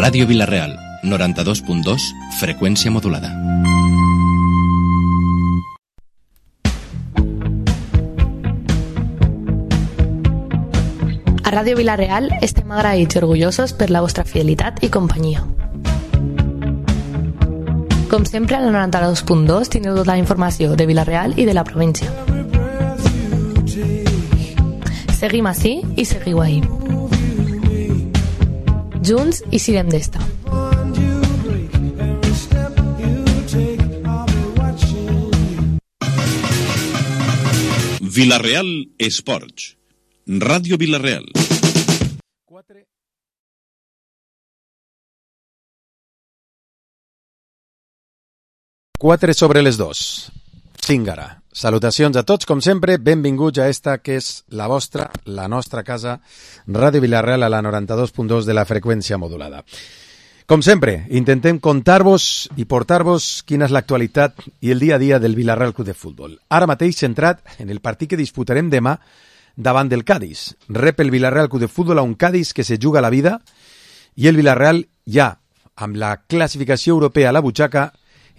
Ràdio Vila-real, 92.2, freqüència modulada. A Ràdio Vila-real estem agraïts i orgullosos per la vostra fidelitat i companyia. Com sempre, al 92.2 tindreu tota la informació de Vila-real i de la província. Seguim ací i seguiu ahí. Junts i sirem d'esta. Vila-real Esports. Ràdio Vila-real. 4 sobre les 2. 5 ara. Salutacions a tots, com sempre, benvinguts a esta que és la vostra, la nostra casa, Ràdio Vila-real a la 92.2 de la freqüència modulada. Com sempre, intentem contar-vos i portar-vos quina és l'actualitat i el dia a dia del Vila-real Club de Futbol. Ara mateix centrat en el partit que disputarem demà davant del Cádiz. Rep el Vila-real Club de Futbol a un Cádiz que se juga la vida i el Vila-real ja, amb la classificació europea a la butxaca,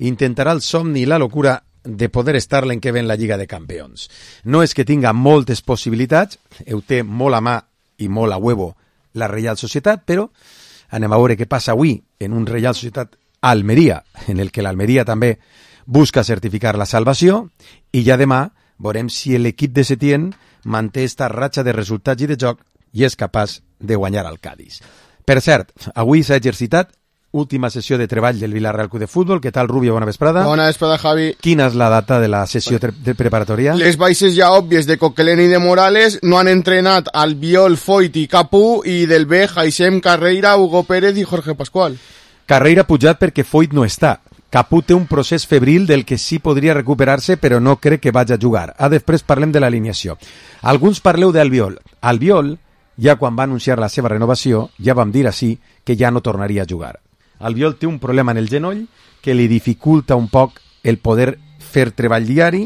intentarà el somni i la locura de poder estar l'any que ve en la Lliga de Campions. No és que tinga moltes possibilitats, ho té molt a mà i molt a huevo la Reial Societat, però anem a veure què passa avui en un Reial Societat Almeria, en el que l'Almeria també busca certificar la salvació, i ja demà veurem si l'equip de Setién manté esta ratxa de resultats i de joc i és capaç de guanyar al Cádiz. Per cert, avui s'ha exercitat última sessió de treball del Vila-real Club de Futbol. Què tal, Rubio? Bona vesprada. Bona vesprada, Javi. Quina és la data de la sessió de preparatòria? Les baixes ja òbvies de Coquelin i de Morales. No han entrenat Albiol, Foyt i Capú, i del B, Jaisem, Carreira, Hugo Pérez i Jorge Pascual. Carreira pujat perquè Foyt no està. Capú té un procés febril del que sí podria recuperar-se, però no crec que vagi a jugar. Després parlem de l'alineació. Alguns parleu d'Albiol. Albiol, ja quan va anunciar la seva renovació, ja vam dir així que ja no tornaria a jugar. Albiol té un problema en el genoll que li dificulta un poc el poder fer treball diari.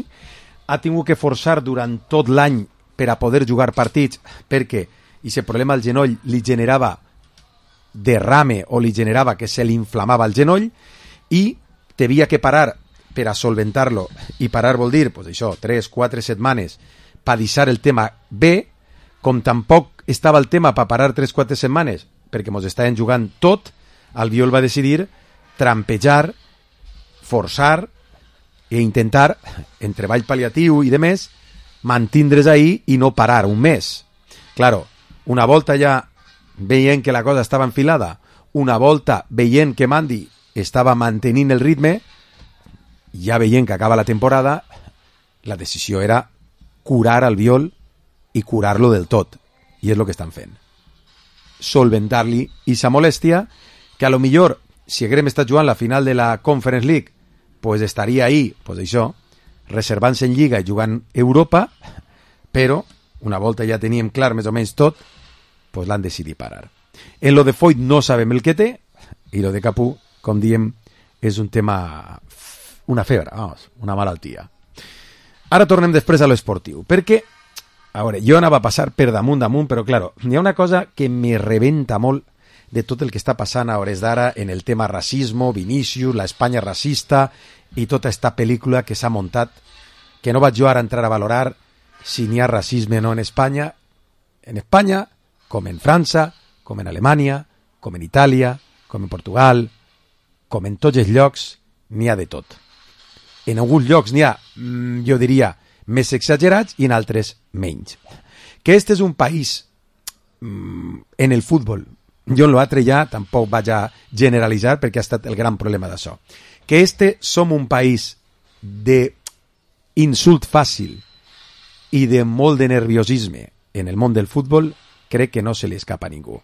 Ha tingut que forçar durant tot l'any per a poder jugar partits perquè aquest problema al genoll li generava derrame o li generava que se li inflamava el genoll i havia que parar per a solventar-lo, i parar vol dir pues això, 3-4 setmanes per deixar el tema bé. Com tampoc estava el tema per parar 3-4 setmanes perquè ens estaven jugant tot, Albiol va decidir trampejar, forçar i intentar, en treball pal·liatiu i de més, mantindre's ahí i no parar un mes. Claro, una volta ja veient que la cosa estava enfilada, una volta veient que Mandi estava mantenint el ritme, ja veient que acaba la temporada, la decisió era curar Albiol i curar-lo del tot. I és el que estan fent. Solventar-li aquesta molèstia, que a lo millor, si haguérem estat jugant la final de la Conference League, pues estaria ahí, pues això, reservant-se en Lliga i jugant Europa, però una volta ja teníem clar més o menys tot, pues l'han decidit parar. En lo de Foyt no sabem el que té, i lo de Capú, com diem, és un tema, una febre, vamos, una malaltia. Ara tornem després a l'esportiu, perquè, a veure, jo anava a passar per damunt, però claro, hi ha una cosa que me rebenta molt de tot el que està passant a hores d'ara en el tema racismo, Vinícius, la Espanya racista i tota esta pel·lícula que s'ha muntat, que no vaig jo ara entrar a valorar si n'hi ha racisme o no en Espanya, com en França, com en Alemanya, com en Itàlia, com en Portugal, com en tots els llocs, n'hi ha de tot. En alguns llocs n'hi ha, jo diria, més exagerats i en altres menys. Que este és un país en el futbol, jo en l'altre ja tampoc vaig a generalitzar perquè ha estat el gran problema d'això, que som un país d'insult fàcil i de molt de nerviosisme en el món del futbol, crec que no se li escapa a ningú.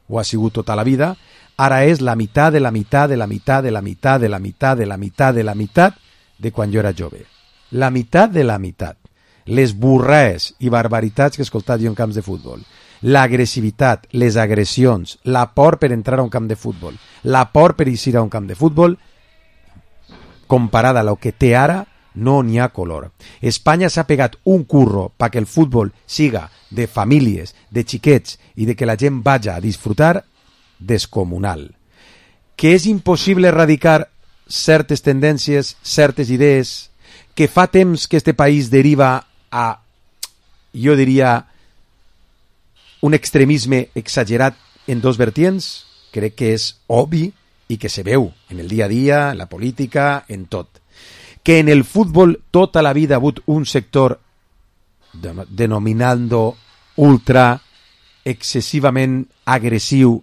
Ho ha sigut tota la vida, ara és la meitat de la meitat de la meitat de la meitat de la meitat de la meitat de la meitat de quan jo era jove. La meitat de la meitat. Les burraes i barbaritats que he escoltat jo en camps de futbol. L'agressivitat, les agressions, la por per entrar a un camp de futbol, la por per eixir a un camp de futbol, comparada a lo que té ara, no n'hi ha color. Espanya s'ha pegat un curro perquè el futbol siga de famílies, de xiquets i de que la gent vaja a disfrutar descomunal. que és impossible erradicar certes tendències, certes idees, que fa temps que este país deriva a, jo diria, un extremisme exagerat en dos vertients, crec que és obvi i que se veu en el dia a dia, en la política, en tot. Que en el futbol tota la vida ha hagut un sector denominando ultra excessivament agressiu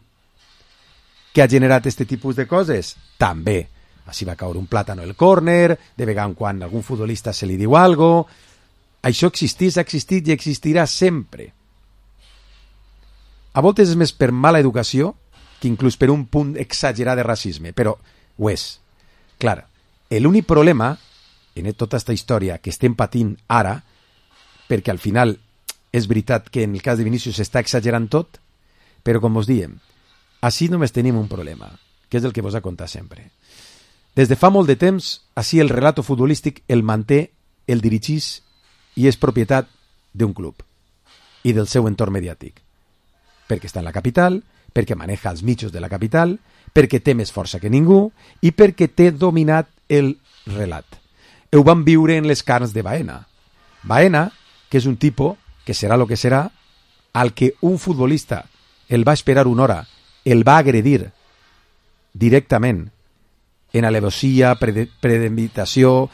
que ha generat este tipus de coses? També. Així va caure un plàtano al córner, de vegada en quan algun futbolista se li diu algo. Això existís, ha existit i existirà sempre. A voltes és més per mala educació que inclús per un punt exagerat de racisme, però ho és. Clar, l'únic problema en tota aquesta història que estem patint ara, perquè al final és veritat que en el cas de Vinícius s'està exagerant tot, però com us diem, així només tenim un problema, que és el que vos ha contat sempre. Des de fa molt de temps, així el relato futbolístic el manté, el dirigís i és propietat d'un club i del seu entorn mediàtic. Perquè està en la capital, perquè maneja els mitjos de la capital, perquè té més força que ningú i perquè té dominat el relat. Ho van viure en les carns de Baena. Baena, que és un tipus, que serà el que serà, al que un futbolista el va esperar una hora, el va agredir directament en alevosía, premeditació,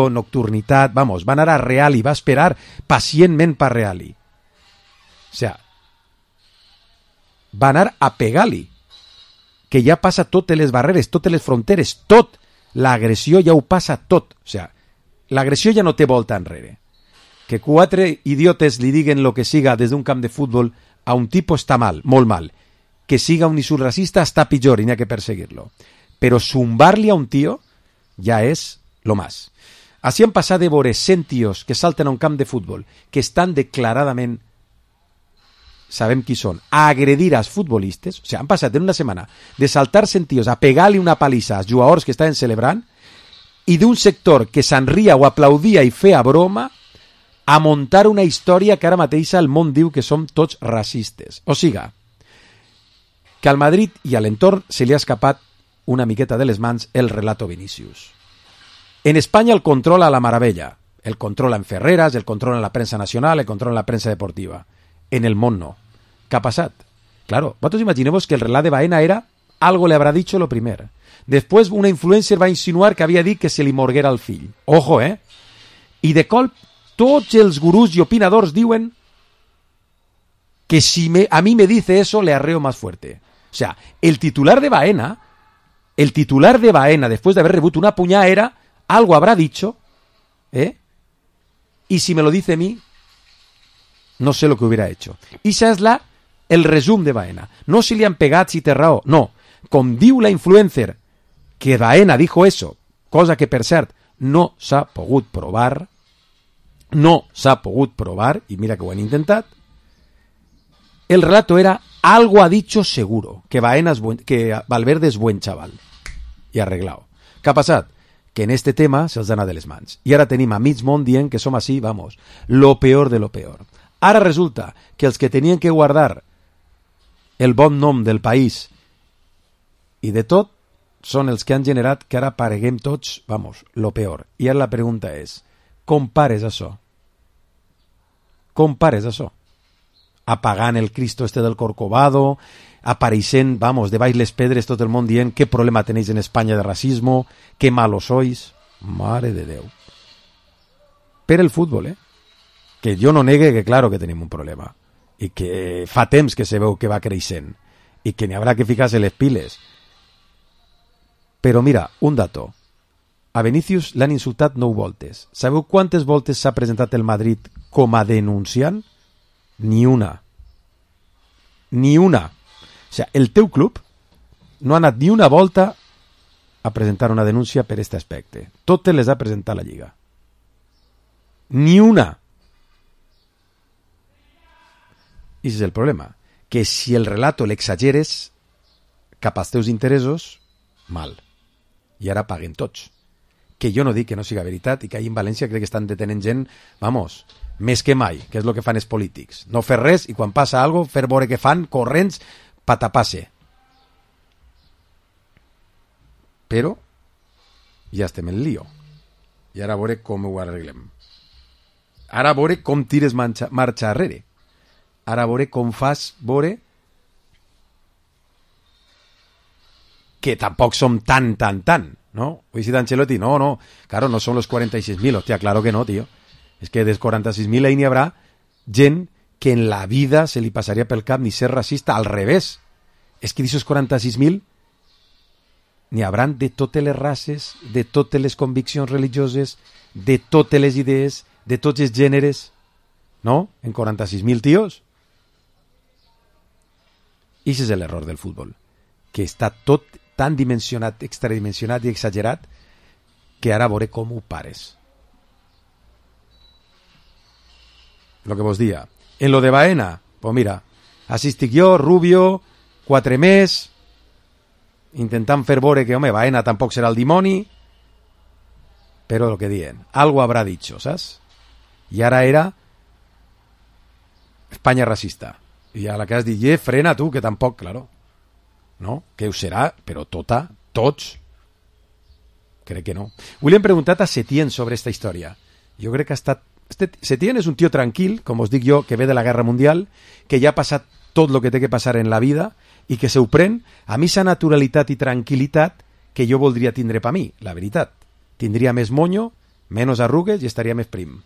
nocturnitat, vamos, va anar a Reali, va esperar pacientment per Reali. O sea, va anar a pegar-li, que ja passa totes les barreres, totes les fronteres, tot. L'agressió ja ho passa tot. O sea, l'agressió ja no té volta enrere. Que quatre idiotes li diguen lo que siga des d'un camp de futbol a un tipus està mal, molt mal. Que siga un insulracista està pitjor i n'hi ha que perseguir-lo. Però zumbar-li a un tio ja és lo más. Així han passat de veure 100 tios que salten a un camp de futbol, que estan declaradament, sabem qui són, a agredir als futbolistes. O sigui, han passat en una setmana de saltar 100 tios a pegar-li una palissa als jugadors que estaven celebrant i d'un sector que s'enria o aplaudia i feia broma a muntar una història que ara mateix el món diu que som tots racistes. O sigui, que al Madrid i a l'entorn se li ha escapat una miqueta de les mans el relato Vinícius. En Espanya el controla la Maravella, el controla en Ferreras, el controla en la premsa nacional, el controla en la premsa deportiva. En el món no. ¿Qué ha pasado? Claro, vosotros imaginemos que el relato de Baena era algo le habrá dicho lo primer. Después una influencer va a insinuar que havia dit que se li morguera el fill. Ojo, eh? I de colp tots els gurús i opinadors diuen que si a mí me dice eso le arreo más fuerte. O sea, el titular de Baena, después de haber rebut una puñada, era algo habrá dicho, y si me lo dice a mí, no sé lo que hubiera hecho. I això és el resum de Baena. No si li han pegat, si té raó, no. Com diu la influencer que Baena dijo eso, cosa que per cert no s'ha pogut provar, i mira que ho han intentat, el relato era algo ha dicho seguro, que Valverde és buen chaval. I arreglado. Què ha passat? Que en este tema se'ls ha anat de les mans. I ara tenim a mig món dient que som així, vamos, lo peor de lo peor. Ara resulta que els que tenien que guardar el bon nom del país i de tot són els que han generat que ara pareguem tots, vamos, lo peor. I ara la pregunta és, com pares això? Com pares això? Apagant el Cristo este del Corcovado, apareixent, vamos, de baix les pedres tot el món dient qué problema tenéis en España de racismo, qué malos sois. Mare de Déu. Per el futbol, que jo no negue que claro que tenim un problema i que fa temps que se veu que va creixent i que n'hi haurà que ficar-se les piles. Però mira, un dato. A Vinícius l'han insultat 9 voltes. Sabeu quantes voltes s'ha presentat el Madrid com a denunciant? Ni una. Ni una. O sigui, el teu club no ha anat ni una volta a presentar una denúncia per aquest aspecte. Totes les ha presentat la Lliga. Ni una. I és el problema. Que si el relato l'exageres cap als teus interessos, mal. I ara paguen tots. Que jo no dic que no siga veritat i que ahir en València crec que estan detenent gent, vamos, més que mai, que és el que fan els polítics. No fer res i quan passa alguna cosa, fer veure que fan corrents pa tapar-se. Però ja estem en lío. I ara a veure com ho arreglem. Ara a veure com tires marxa arrere. Ara a veure com fas veure que tampoc som tan, ¿no? Hoy si Ancelotti, no, claro, no son los 46.000, hostia, claro que no, tío. Es que dels 46.000 ahí n'hi habrà gent que en la vida se li passaria pel cap ni ser racista, al revés. És que d'aquests 46.000 n'hi hauran de totes les races, de totes les conviccions religioses, de totes les idees, de tots els gèneres, no? En 46.000 tios. I això és l'error del futbol, que està tot tan dimensionat, extradimensionat i exagerat, que ara veuré com ho pares. Lo que vos dia. En lo de Baena, pues mira, assistic jo, Rubio, 4 més, intentant fer veure que, home, Baena tampoc serà el dimoni, però lo que diuen, algo habrá dicho, saps? I ara era Espanya racista. I a la que has dit, frena tu, que tampoc, claro. No? Que ho serà, però tots, crec que no. William preguntat a Setién sobre esta història. Jo crec que ha estat... Setién és un tio tranquil, com us dic jo, que ve de la Guerra Mundial, que ja ha passat tot el que té que passar en la vida i que se ho pren a mi sa naturalitat i tranquil·litat que jo voldria tindre per mi, la veritat. Tindria més moño, menos arrugues i estaria més prim.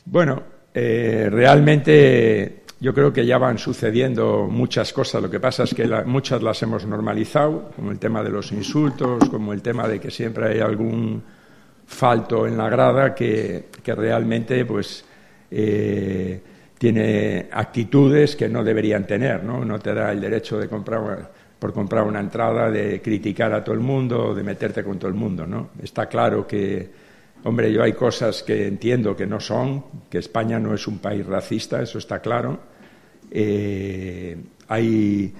Bueno, realmente yo creo que ya van sucediendo muchas cosas. Lo que pasa es que muchas las hemos normalizado, como el tema de los insultos, como el tema de que siempre hay algún falto en la grada que realmente pues tiene actitudes que no deberían tener, ¿no? No te da el derecho de por comprar una entrada, de criticar a todo el mundo, de meterte con todo el mundo, ¿no? Está claro que, hombre, yo hay cosas que entiendo que no son, que España no es un país racista, eso está claro. Hay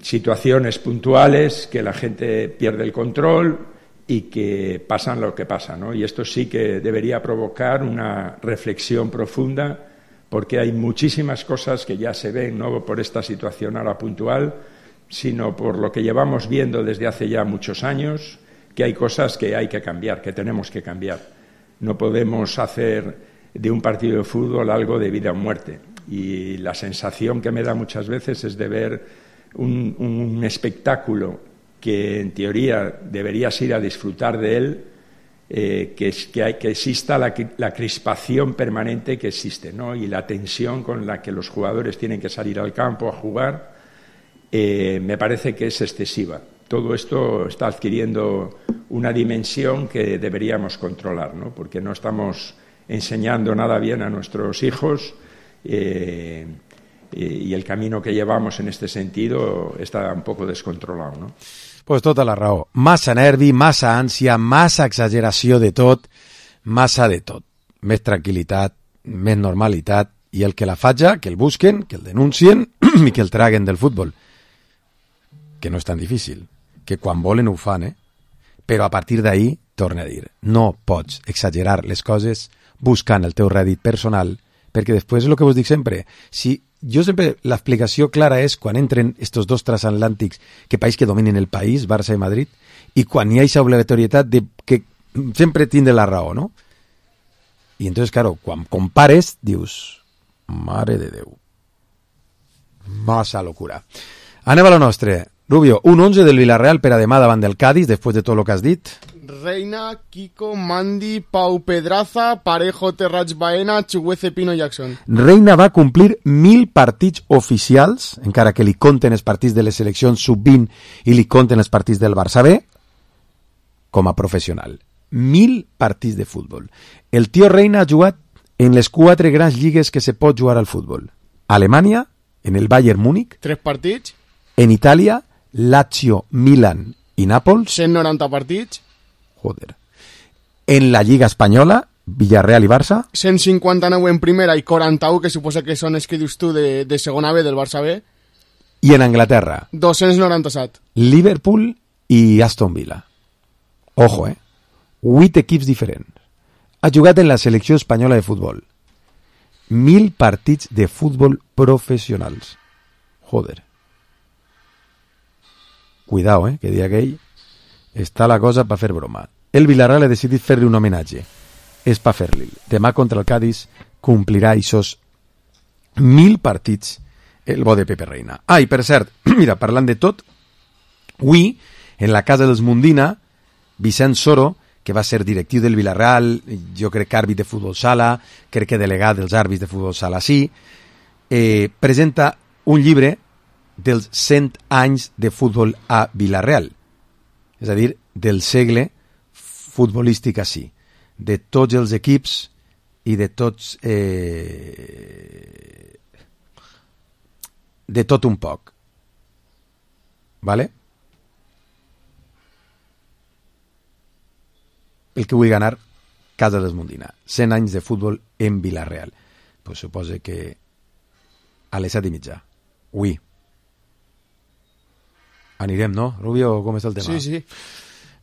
situaciones puntuales que la gente pierde el control y que pasan lo que pasa, ¿no? Y esto sí que debería provocar una reflexión profunda, porque hay muchísimas cosas que ya se ven, no por esta situación ahora puntual, sino por lo que llevamos viendo desde hace ya muchos años, que hay cosas que hay que cambiar, que tenemos que cambiar. No podemos hacer de un partido de fútbol algo de vida o muerte. Y la sensación que me da muchas veces es de ver un espectáculo que en teoría deberías ir a disfrutar de él, que exista la crispación permanente que existe, ¿no? Y la tensión con la que los jugadores tienen que salir al campo a jugar, me parece que es excesiva. Todo esto está adquiriendo una dimensión que deberíamos controlar, ¿no? Porque no estamos enseñando nada bien a nuestros hijos, y el camino que llevamos en este sentido está un poco descontrolado, ¿no? Pues tota la raó. Massa nervi, massa ànsia, massa exageració de tot, massa de tot. Més tranquil·litat, més normalitat, i el que la fatja, que el busquen, que el denuncien i que el traguen del futbol. Que no és tan difícil. Que quan volen ho fan, Però a partir d'ahí, torna a dir, no pots exagerar les coses buscant el teu rèdit personal, perquè després és el que vos dic sempre. Si jo sempre, l'explicació clara és quan entren estos dos transatlàntics que país que dominen el país, Barça i Madrid, i quan hi ha aquesta obligatorietat de que sempre tindre la raó, no? I entonces, claro, quan compares, dius, mare de Déu, massa locura. Anem a lo nostre. Rubio, un 11 del Villarreal per a demà davant del Cádiz, després de tot el que has dit. Reina, Kiko, Mandi, Pau Pedraza, Parejo, Terrats Baena, Chuguece, Pino, Jackson. Reina va complir 1.000 partits oficials, encara que li compten els partits de les seleccions sub-20 i li compten els partits del Barça B, com a professional. 1.000 partits de futbol. El tio Reina ha jugat en les 4 grans lligues que se pot jugar al futbol. Alemanya, en el Bayern Múnich. 3 partits. En Itàlia, Lazio, Milan i Nàpols. 190 partits. Joder. En la Lliga Espanyola, Villarreal i Barça. 159 en primera i 41, que suposa que són els que dius tu de segona B, del Barça B. I en Anglaterra. 297. Liverpool i Aston Villa. Ojo, 8 equips diferents. Ha jugat en la selecció espanyola de futbol. 1.000 partits de futbol professionals. Joder. cuidao, que dia aquell està la cosa per fer broma. El Villarreal ha decidit fer-li un homenatge. És per fer-li. Demà contra el Cádiz complirà aquests 1000 partits el bo de Pepe Reina. I per cert, mira, parlant de tot, avui, en la casa dels Mundina, Vicent Soro, que va ser directiu del Villarreal, jo crec que àrbit de futbol sala, crec que delegat dels àrbits de futbol sala sí, presenta un llibre dels 100 anys de futbol a Villarreal. És a dir, del segle futbolístic així, de tots els equips i de tots... de tot un poc. Vale? El que vull ganar, Casa dels Mundina. 100 anys de futbol en Villarreal. Pues suposa que a les 7:30. Ui. Anirem, no? Rubio, com està el tema? Sí.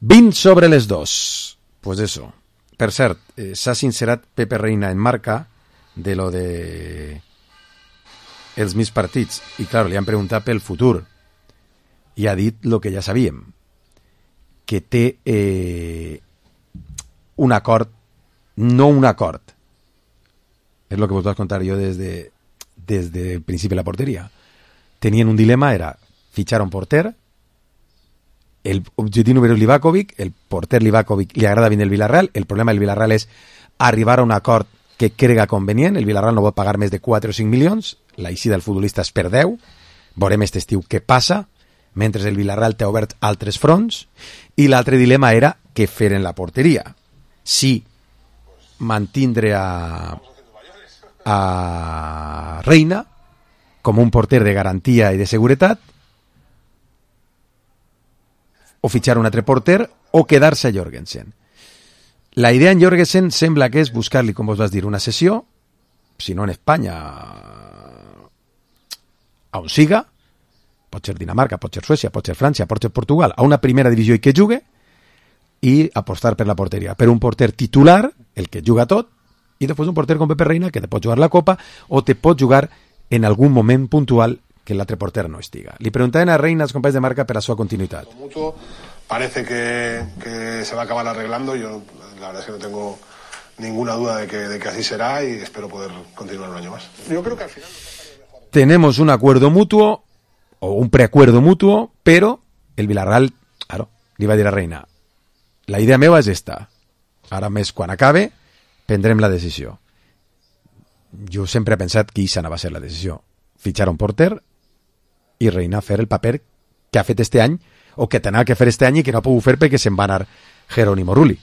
20 sobre les 2. Pues eso. Per cert, s'ha sincerat Pepe Reina en Marca de lo de els mis partits. I, clar, li han preguntat pel futur. I ha dit lo que ja sabíem. Que té un acord, no un acord. És el que vos vaig contar jo des del principi de la porteria. Tenien un dilema, era fitxar un porter, el objectiu número és Livakovic, el porter Livakovic li agrada bien el Villarreal, el problema del Villarreal és arribar a un acord que crega convenient, el Villarreal no pot pagar més de 4 o 5 milions, la eixida del futbolista és per 10, veurem aquest estiu què passa, mentre el Villarreal té obert altres fronts, i l'altre dilema era què fer en la porteria. Si mantindre a Reina com un porter de garantia i de seguretat, o fitxar un altre porter, o quedar-se a Jorgensen. La idea en Jorgensen sembla que és buscar-li, com vos vas dir, una sessió, si no en Espanya, a on siga, pot ser Dinamarca, pot ser Suècia, pot ser França, pot ser Portugal, a una primera divisió i que jugue, i apostar per la porteria. Per un porter titular, el que juga tot, i després un porter com Pepe Reina que te pot jugar la Copa o te pot jugar en algun moment puntual que l'altre porter no estiga. Li preguntaven a Reina als companys de Marca per a su continuïtat. Mutuo parece que se va a acabar arreglando. Yo la verdad es que no tengo ninguna duda de que así será y espero poder continuar un año más. Yo creo que al final tenemos un acuerdo mutuo o un preacuerdo mutuo, pero el Villarreal, claro, li va dir a Reina, la idea meva és esta. Ara més, quan acabe, prendrem la decisió. Jo sempre he pensat que això no va ser la decisió. Fitxar un porter i Reina fer el paper que ha fet este any o que tenia que fer este any i que no ha pogut fer perquè se'n va anar Jerónimo Rulli.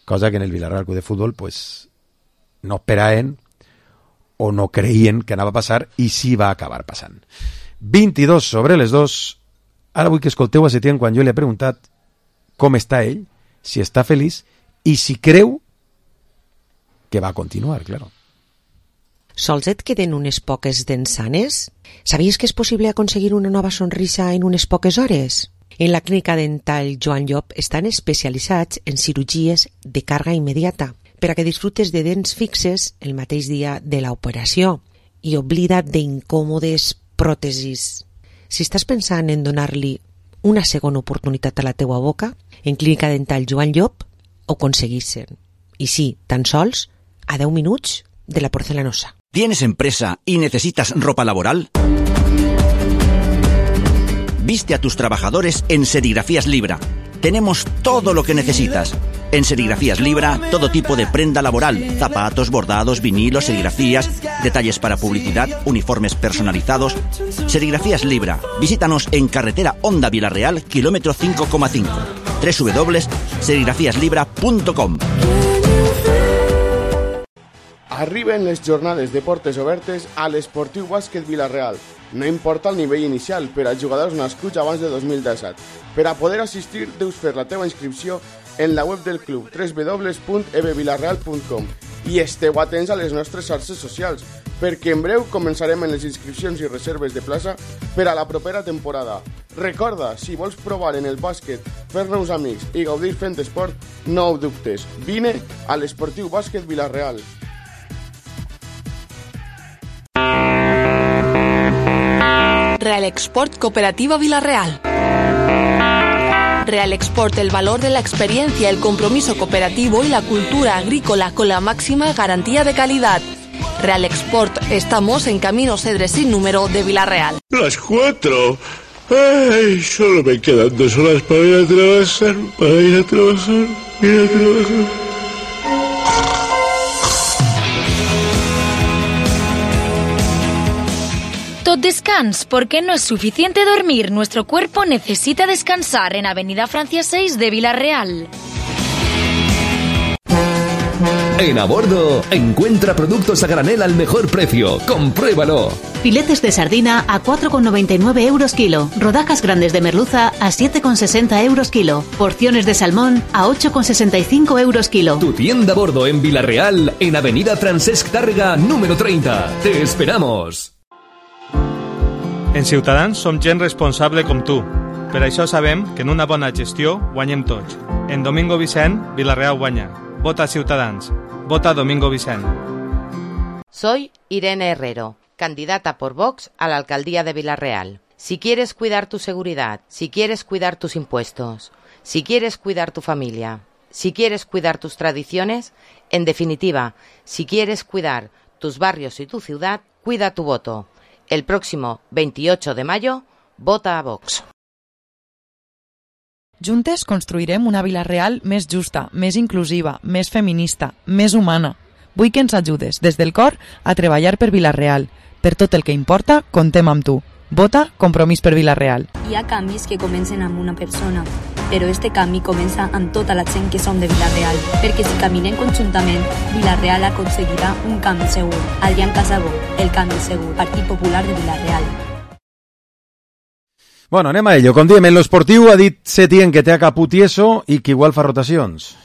Cosa que en el Villarreal Club de Futbol pues, no esperaven o no creien que anava a passar i sí va acabar passant. 22 sobre les 2. Ara vull que escolteu a Setién quan jo li he preguntat com està ell, si està feliç i si creu que va continuar, claro. Sols et queden unes poques dents sanes? Sabies que és possible aconseguir una nova sonrisa en unes poques hores? En la clínica dental Joan Llop estan especialitzats en cirurgies de càrrega immediata per a que disfrutes de dents fixes el mateix dia de l'operació i oblida't d'incòmodes pròtesis. Si estàs pensant en donar-li una segona oportunitat a la teua boca, en Clínica Dental Joan Llop ho aconseguissin. I sí, tan sols a 10 minuts de la porcelanosa. ¿Tienes empresa y necesitas ropa laboral? Viste a tus trabajadores en Serigrafías Libra. Tenemos todo lo que necesitas. En Serigrafías Libra, todo tipo de prenda laboral, zapatos, bordados, vinilos, serigrafías, detalles para publicidad, uniformes personalizados. Serigrafías Libra. Visítanos en carretera Honda Villarreal, kilómetro 5,5. www.serigrafiaslibra.com. Arriben les jornades de portes obertes a l'Esportiu Bàsquet Villarreal. No importa el nivell inicial per a jugadors nascuts abans de 2017. Per a poder assistir, deus fer la teva inscripció en la web del club www.ebvillarreal.com i esteu atents a les nostres xarxes socials, perquè en breu començarem en les inscripcions i reserves de plaça per a la propera temporada. Recorda, si vols provar en el bàsquet, fer-nos amics i gaudir fent esport, no ho dubtes. Vine a l'Esportiu Bàsquet Villarreal. Real Export Cooperativa Villarreal. Real Export, el valor de la experiencia, el compromiso cooperativo y la cultura agrícola con la máxima garantía de calidad. Real Export, estamos en Camino Cedre sin número de Vila-real. Las 4. Ay, solo me quedan 2 horas para ir a trabajar, Tot descans, porque no es suficiente dormir. Nuestro cuerpo necesita descansar en Avenida Francia 6 de Vila-real. En A Bordo, encuentra productos a granel al mejor precio. ¡Compruébalo! Filetes de sardina a 4,99 euros kilo. Rodajas grandes de merluza a 7,60 euros kilo. Porciones de salmón a 8,65 euros kilo. Tu tienda a bordo en Vila-real, en Avenida Francesc Tàrrega, número 30. ¡Te esperamos! En Ciutadans som gent responsable com tu. Per això sabem que en una bona gestió guanyem tots. En Domingo Vicent, Vila-real guanya. Vota Ciutadans. Vota Domingo Vicent. Soy Irene Herrero, candidata por Vox a la alcaldía de Vila-real. Si quieres cuidar tu seguridad, si quieres cuidar tus impuestos, si quieres cuidar tu familia, si quieres cuidar tus tradiciones, en definitiva, si quieres cuidar tus barrios y tu ciudad, cuida tu voto. El próximo 28 de mayo, vota a Vox. Juntes construirem una Vila-real més justa, més inclusiva, més feminista, més humana. Vull que ens ajudes, des del cor, a treballar per Vila-real. Per tot el que importa, contem amb tu. Vota Compromís per Vila-real. Hi ha canvis que comencen amb una persona, però este canvi comença amb tota la gent que som de Vila-real, perquè si caminem conjuntament, Vila-real aconseguirà un canvi segur. Adrián Casabó, el canvi segur, Partit Popular de Vila-real. Bueno, anem a ello. Com diem, en l'esportiu ha dit Setién que té a Capú tieso i que igual fa rotacions.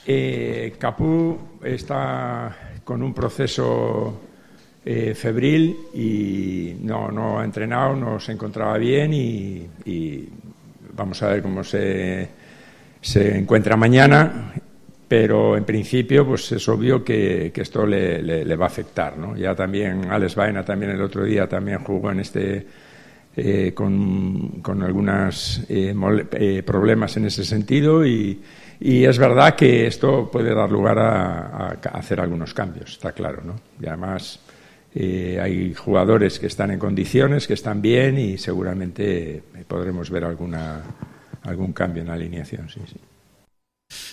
Capú está con un proceso febril y no ha entrenado, no se encontraba bien y vamos a ver cómo se encuentra mañana, pero en principio pues es obvio que esto le va a afectar, ¿no? Ya también Alex Baena también el otro día también jugó en con algunos problemas en ese sentido y es verdad que esto puede dar lugar a hacer algunos cambios, está claro, ¿no? Y además hay jugadores que están en condiciones, que están bien y seguramente podremos ver algún cambio en la alineación, sí.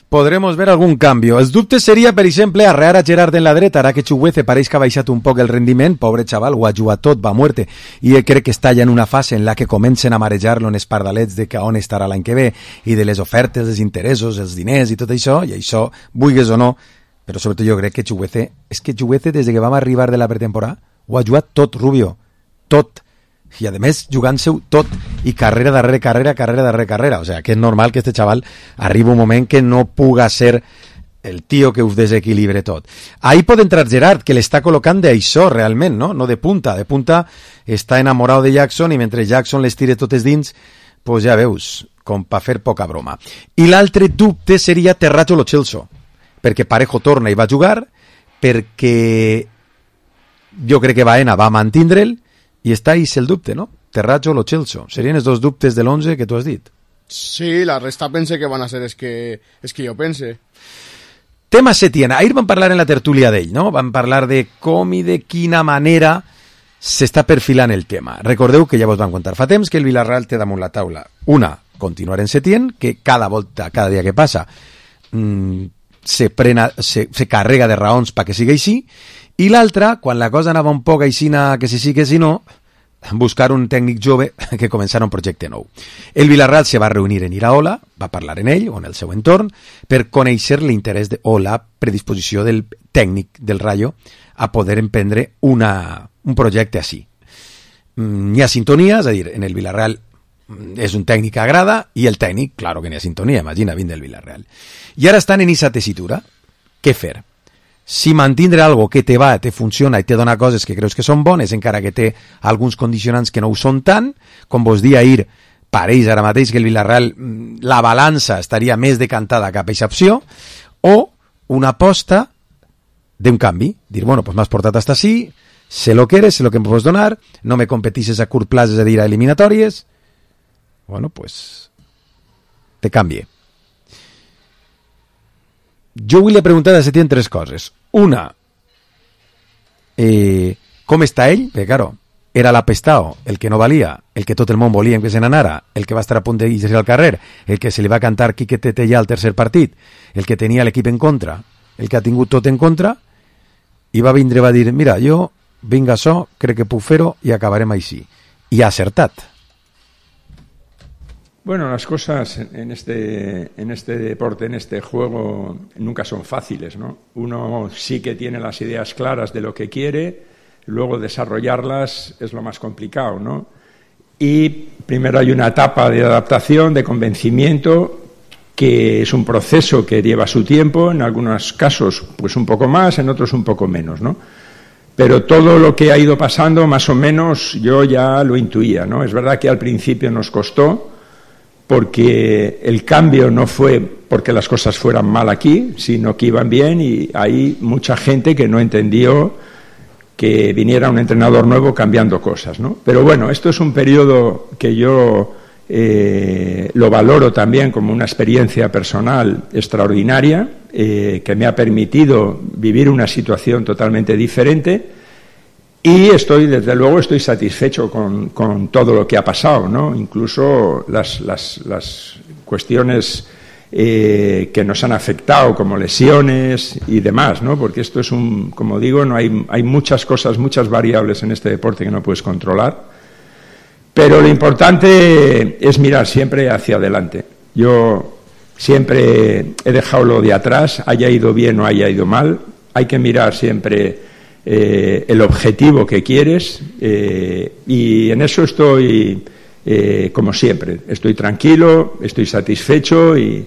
Podremos ver algun canvi. Els dubtes seria, per exemple, arrear a Gerard en la dreta, ara que Chuguece pareix que ha baixat un poc el rendiment, pobre xaval, ho ha jugat tot, va a muerte, i crec que està ja en una fase en la que comencen a marejar-lo en espardalets de que on estarà l'any que ve, i de les ofertes, dels interessos, els diners i tot això, i això, vulguis o no, però sobretot jo crec que Chuguece, és que Chuguece des que vam arribar de la pretemporada, ho ha jugat tot, Rubio, tot, i a més jugant-se-ho tot i carrera darrere carrera, o sea que és normal que este xaval arriba un moment que no puga ser el tio que us desequilibre tot. Ahí pot entrar Gerard, que l'està col·locant d'això realment, no de punta està enamorado de Jackson i mentre Jackson les tire totes dins, pues ja veus, com per fer poca broma. I l'altre dubte seria Terratxo Lo Celso, perquè Parejo torna i va jugar, perquè jo crec que Baena va mantindre'l i està ahí el dubte, no? Terratxo Lo Celso. Serien els dos dubtes de l'11 que tu has dit. Sí, la resta pense que van a ser es que jo pense. Tema Setién. Ahir vam parlar en la tertúlia d'ell, no? Vam parlar de com i de quina manera s'està perfilant el tema. Recordeu que ja vos vam contar fa temps que el Vila-real té damunt la taula. Una, continuar en Setién, que cada dia que passa se carrega de raons perquè sigui així, i l'altra, quan la cosa anava un poc aixina que sí que si no, buscar un tècnic jove que començara un projecte nou. El Vila-real se va reunir en Iraola, va parlar en ell o en el seu entorn per conèixer l'interès o la predisposició del tècnic del Rayo a poder emprendre un projecte així. N'hi ha sintonia, és a dir, en el Vila-real és un tècnic que agrada i el tècnic, claro que n'hi ha sintonia, imagina, vint del Vila-real. I ara estan en aquesta tessitura. Què fer? Si mantindre algo que te va, te funciona i te dona coses que creus que són bones, encara que té alguns condicionants que no ho són tant, com vos dia ahir, pareix ara mateix que el Vila-real, la balança estaria més decantada cap a aquesta opció, o una aposta d'un canvi, dir, bueno, pues m'has portat hasta així, sé lo que eres, sé lo que em pots donar, no me competixes a curt plaç, és a dir, a eliminatòries, bueno, pues te cambie. Jo vull preguntar a Setién 3 coses. Una, com està ell? Perquè, claro, era l'apestao, el que no valia, el que tot el món volia que se n'anara, el que va estar a punt d'irse al carrer, el que se li va cantar Quique Tetellà al tercer partit, el que tenia l'equip en contra, el que ha tingut tot en contra, i va vindre i va dir, mira, jo vinc a això, crec que puc fer-ho i acabarem així. I ha acertat. Bueno, las cosas en este deporte, en este juego, nunca son fáciles, ¿no? Uno sí que tiene las ideas claras de lo que quiere, luego desarrollarlas es lo más complicado, ¿no? Y primero hay una etapa de adaptación, de convencimiento, que es un proceso que lleva su tiempo, en algunos casos pues un poco más, en otros un poco menos, ¿no? Pero todo lo que ha ido pasando, más o menos, yo ya lo intuía, ¿no? Es verdad que al principio nos costó, porque el cambio no fue porque las cosas fueran mal aquí, sino que iban bien, y hay mucha gente que no entendió que viniera un entrenador nuevo cambiando cosas, ¿no? Pero bueno, esto es un periodo que yo lo valoro también como una experiencia personal extraordinaria, que me ha permitido vivir una situación totalmente diferente, y desde luego estoy satisfecho con todo lo que ha pasado, ¿no? Incluso las cuestiones que nos han afectado, como lesiones y demás, ¿no? Porque esto es como digo, no hay muchas cosas, muchas variables en este deporte que no puedes controlar. Pero lo importante es mirar siempre hacia adelante. Yo siempre he dejado lo de atrás, haya ido bien o haya ido mal. Hay que mirar siempre el objetivo que quieres, y en eso estoy, como siempre, estoy tranquilo, estoy satisfecho y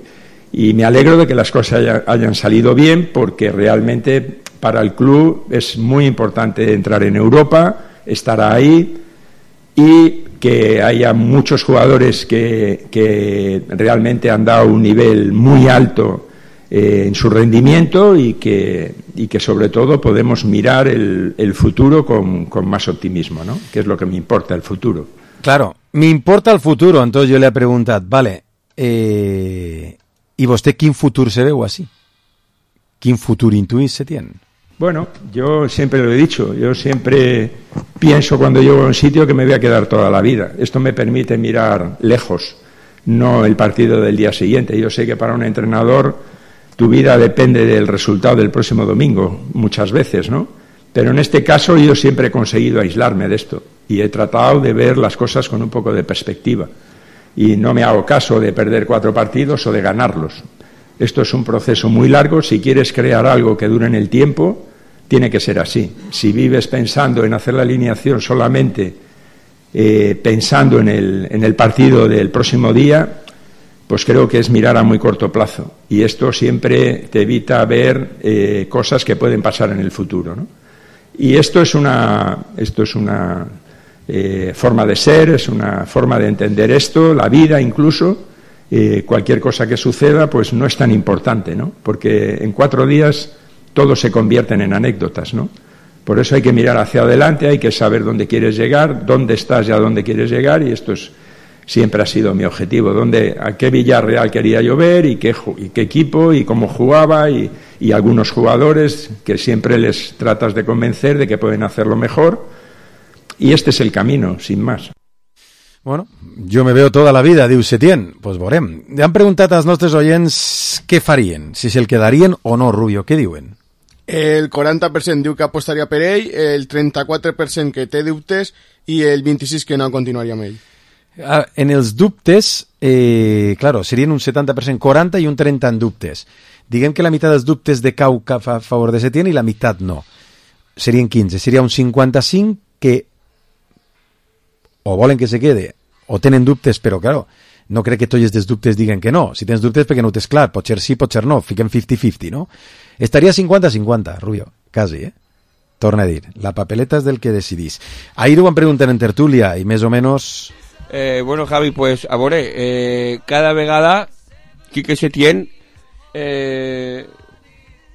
me alegro de que las cosas hayan salido bien, porque realmente para el club es muy importante entrar en Europa, estar ahí, y que haya muchos jugadores que realmente han dado un nivel muy alto en su rendimiento, y que sobre todo podemos mirar el futuro con más optimismo, ¿no? Que es lo que me importa, el futuro. Claro, me importa el futuro, entonces yo le he preguntat, vale, ¿y vostè quin futur se veu así? ¿Quin futur intuís se tiene? Bueno, yo siempre lo he dicho, yo siempre pienso cuando llego a un sitio que me voy a quedar toda la vida. Esto me permite mirar lejos, no el partido del día siguiente. Yo sé que para un entrenador tu vida depende del resultado del próximo domingo, muchas veces, ¿no? Pero en este caso yo siempre he conseguido aislarme de esto y he tratado de ver las cosas con un poco de perspectiva. Y no me hago caso de perder 4 partidos o de ganarlos. Esto es un proceso muy largo. Si quieres crear algo que dure en el tiempo, tiene que ser así. Si vives pensando en hacer la alineación solamente pensando en el partido del próximo día, pues creo que es mirar a muy corto plazo. Y esto siempre te evita ver cosas que pueden pasar en el futuro, ¿no? Y esto es una forma de ser, es una forma de entender esto, la vida incluso. Cualquier cosa que suceda pues no es tan importante, ¿no? Porque en 4 días todos se convierten en anécdotas, ¿no? Por eso hay que mirar hacia adelante, hay que saber dónde quieres llegar, dónde estás y a dónde quieres llegar, y esto siempre ha sido mi objetivo, a qué Villarreal quería yo ver, y qué equipo y cómo jugaba, y algunos jugadores que siempre les tratas de convencer de que pueden hacerlo mejor, y este es el camino, sin más. Bueno, jo me veo toda la vida, diu Setién. Pues veurem. Han preguntat als nostres oients què farien, si se'l quedarien o no, Rubio. Què diuen? El 40% diu que apostaria per ell, el 34% que té dubtes i el 26% que no continuaria amb ell. En els dubtes, claro, serien un 70%, 40 i un 30 en dubtes. Diguem que la meitat dels dubtes decau cap a favor de Setién i la meitat no. Serien 15. Seria un 55 que o volen que se quede, o tenen dubtes, però, claro, no crec que tots els dubtes diguen que no. Si tens dubtes perquè no ho tens clar, potser sí, potser no, fiquem 50-50, no? Estaria 50-50, Rubio, quasi, Torna a dir, la papeleta és del que decidís. Ahir ho van preguntar en tertúlia i més o menys... Bueno, Javi, pues, a veure, cada vegada Quique Setién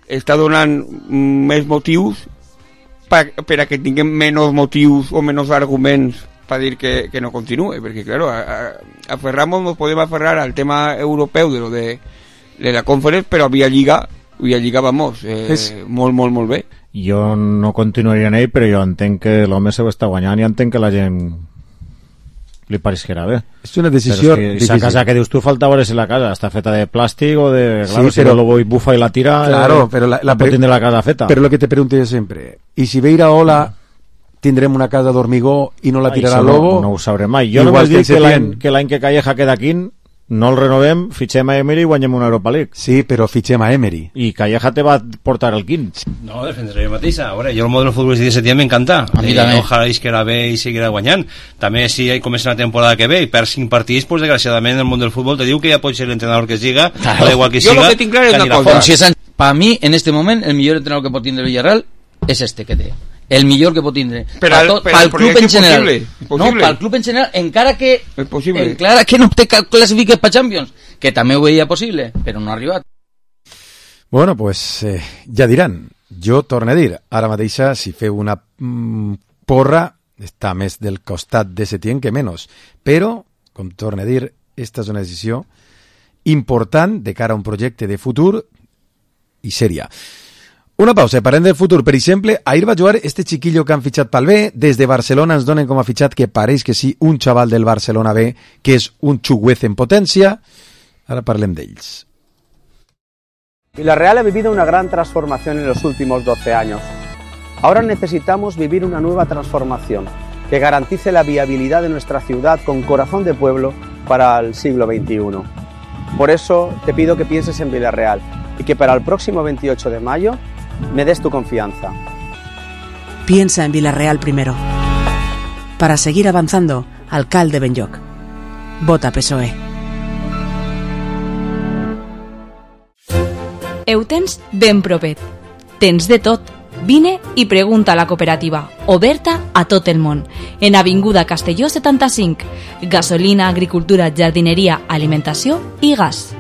està donant més motius per a que tinguem menys motius o menys arguments para decir que no continúe, porque claro, nos podemos aferrar al tema europeo de lo de la Conference, pero había Lliga vamos, molt bé. Jo no continuaria en ell, però jo entenc que l'home se ho està guanyant i entenc que la gent li pareixerà bé. És una decisió difícil. Esa casa que dius tu falta veure si la casa està feta de plàstic o de... Claro, sí, si no lo voy bufa y la tira, claro, pero la pot tindre la casa feta. Però lo que te pregunto jo sempre, i si ve Iraola tindrem una casa d'hormigó i no la tirarà Lobo? No ho sabrem mai. Jo només dic que l'any que Calleja queda aquí no el renovem, fitxem a Emery i guanyem una Europa League. Sí, però fitxem a Emery. I Calleja te va portar el quin. No, defensaré jo mateixa. A veure, jo el model futbolístic de Setién m'encanta. A mi també. Ojalà que era bé i seguirà guanyant. També si comença la temporada que ve i per 5 partits, pues desgraciadament el món del futbol te diu que ja pot ser l'entrenador que siga, claro. Da igual que siga. Jo lo que tinc clar és una cosa. Para mí, en este moment, el millor entrenador que pot tindre el Villarreal és este que té. El millor que pot tindre pel club en general. No, pel club en general, encara que no te classifiques per Champions, que també ho veia possible, però no ha arribat. Bueno, pues ja diran. Jo torno a dir, ara mateixa, si feu una porra, està més del costat de Setién que menys. Però, com torno a dir, esta és una decisió important de cara a un projecte de futur i sèria. Una pausa, parlem del futur. Per exemple, ahir va jugar este chiquillo que han fitxat pel B. Des de Barcelona ens donen com a fitxat que pareix que sí, un xaval del Barcelona B, que és un xuguez en potència. Ara parlem d'ells. Villarreal ha vivido una gran transformación en los últimos 12 años. Ahora necesitamos vivir una nueva transformación que garantice la viabilidad de nuestra ciudad con corazón de pueblo para el siglo XXI. Por eso te pido que pienses en Villarreal y que para el próximo 28 de mayo me des tu confianza. Piensa en Villarreal primero. Para seguir avanzando, alcalde Benlloc. Vota PSOE. Ho tens ben propet. Tens de tot. Vine i pregunta a la cooperativa, oberta a tot el món, en Avinguda Castelló 75. Gasolina, agricultura, jardineria, alimentació i gas.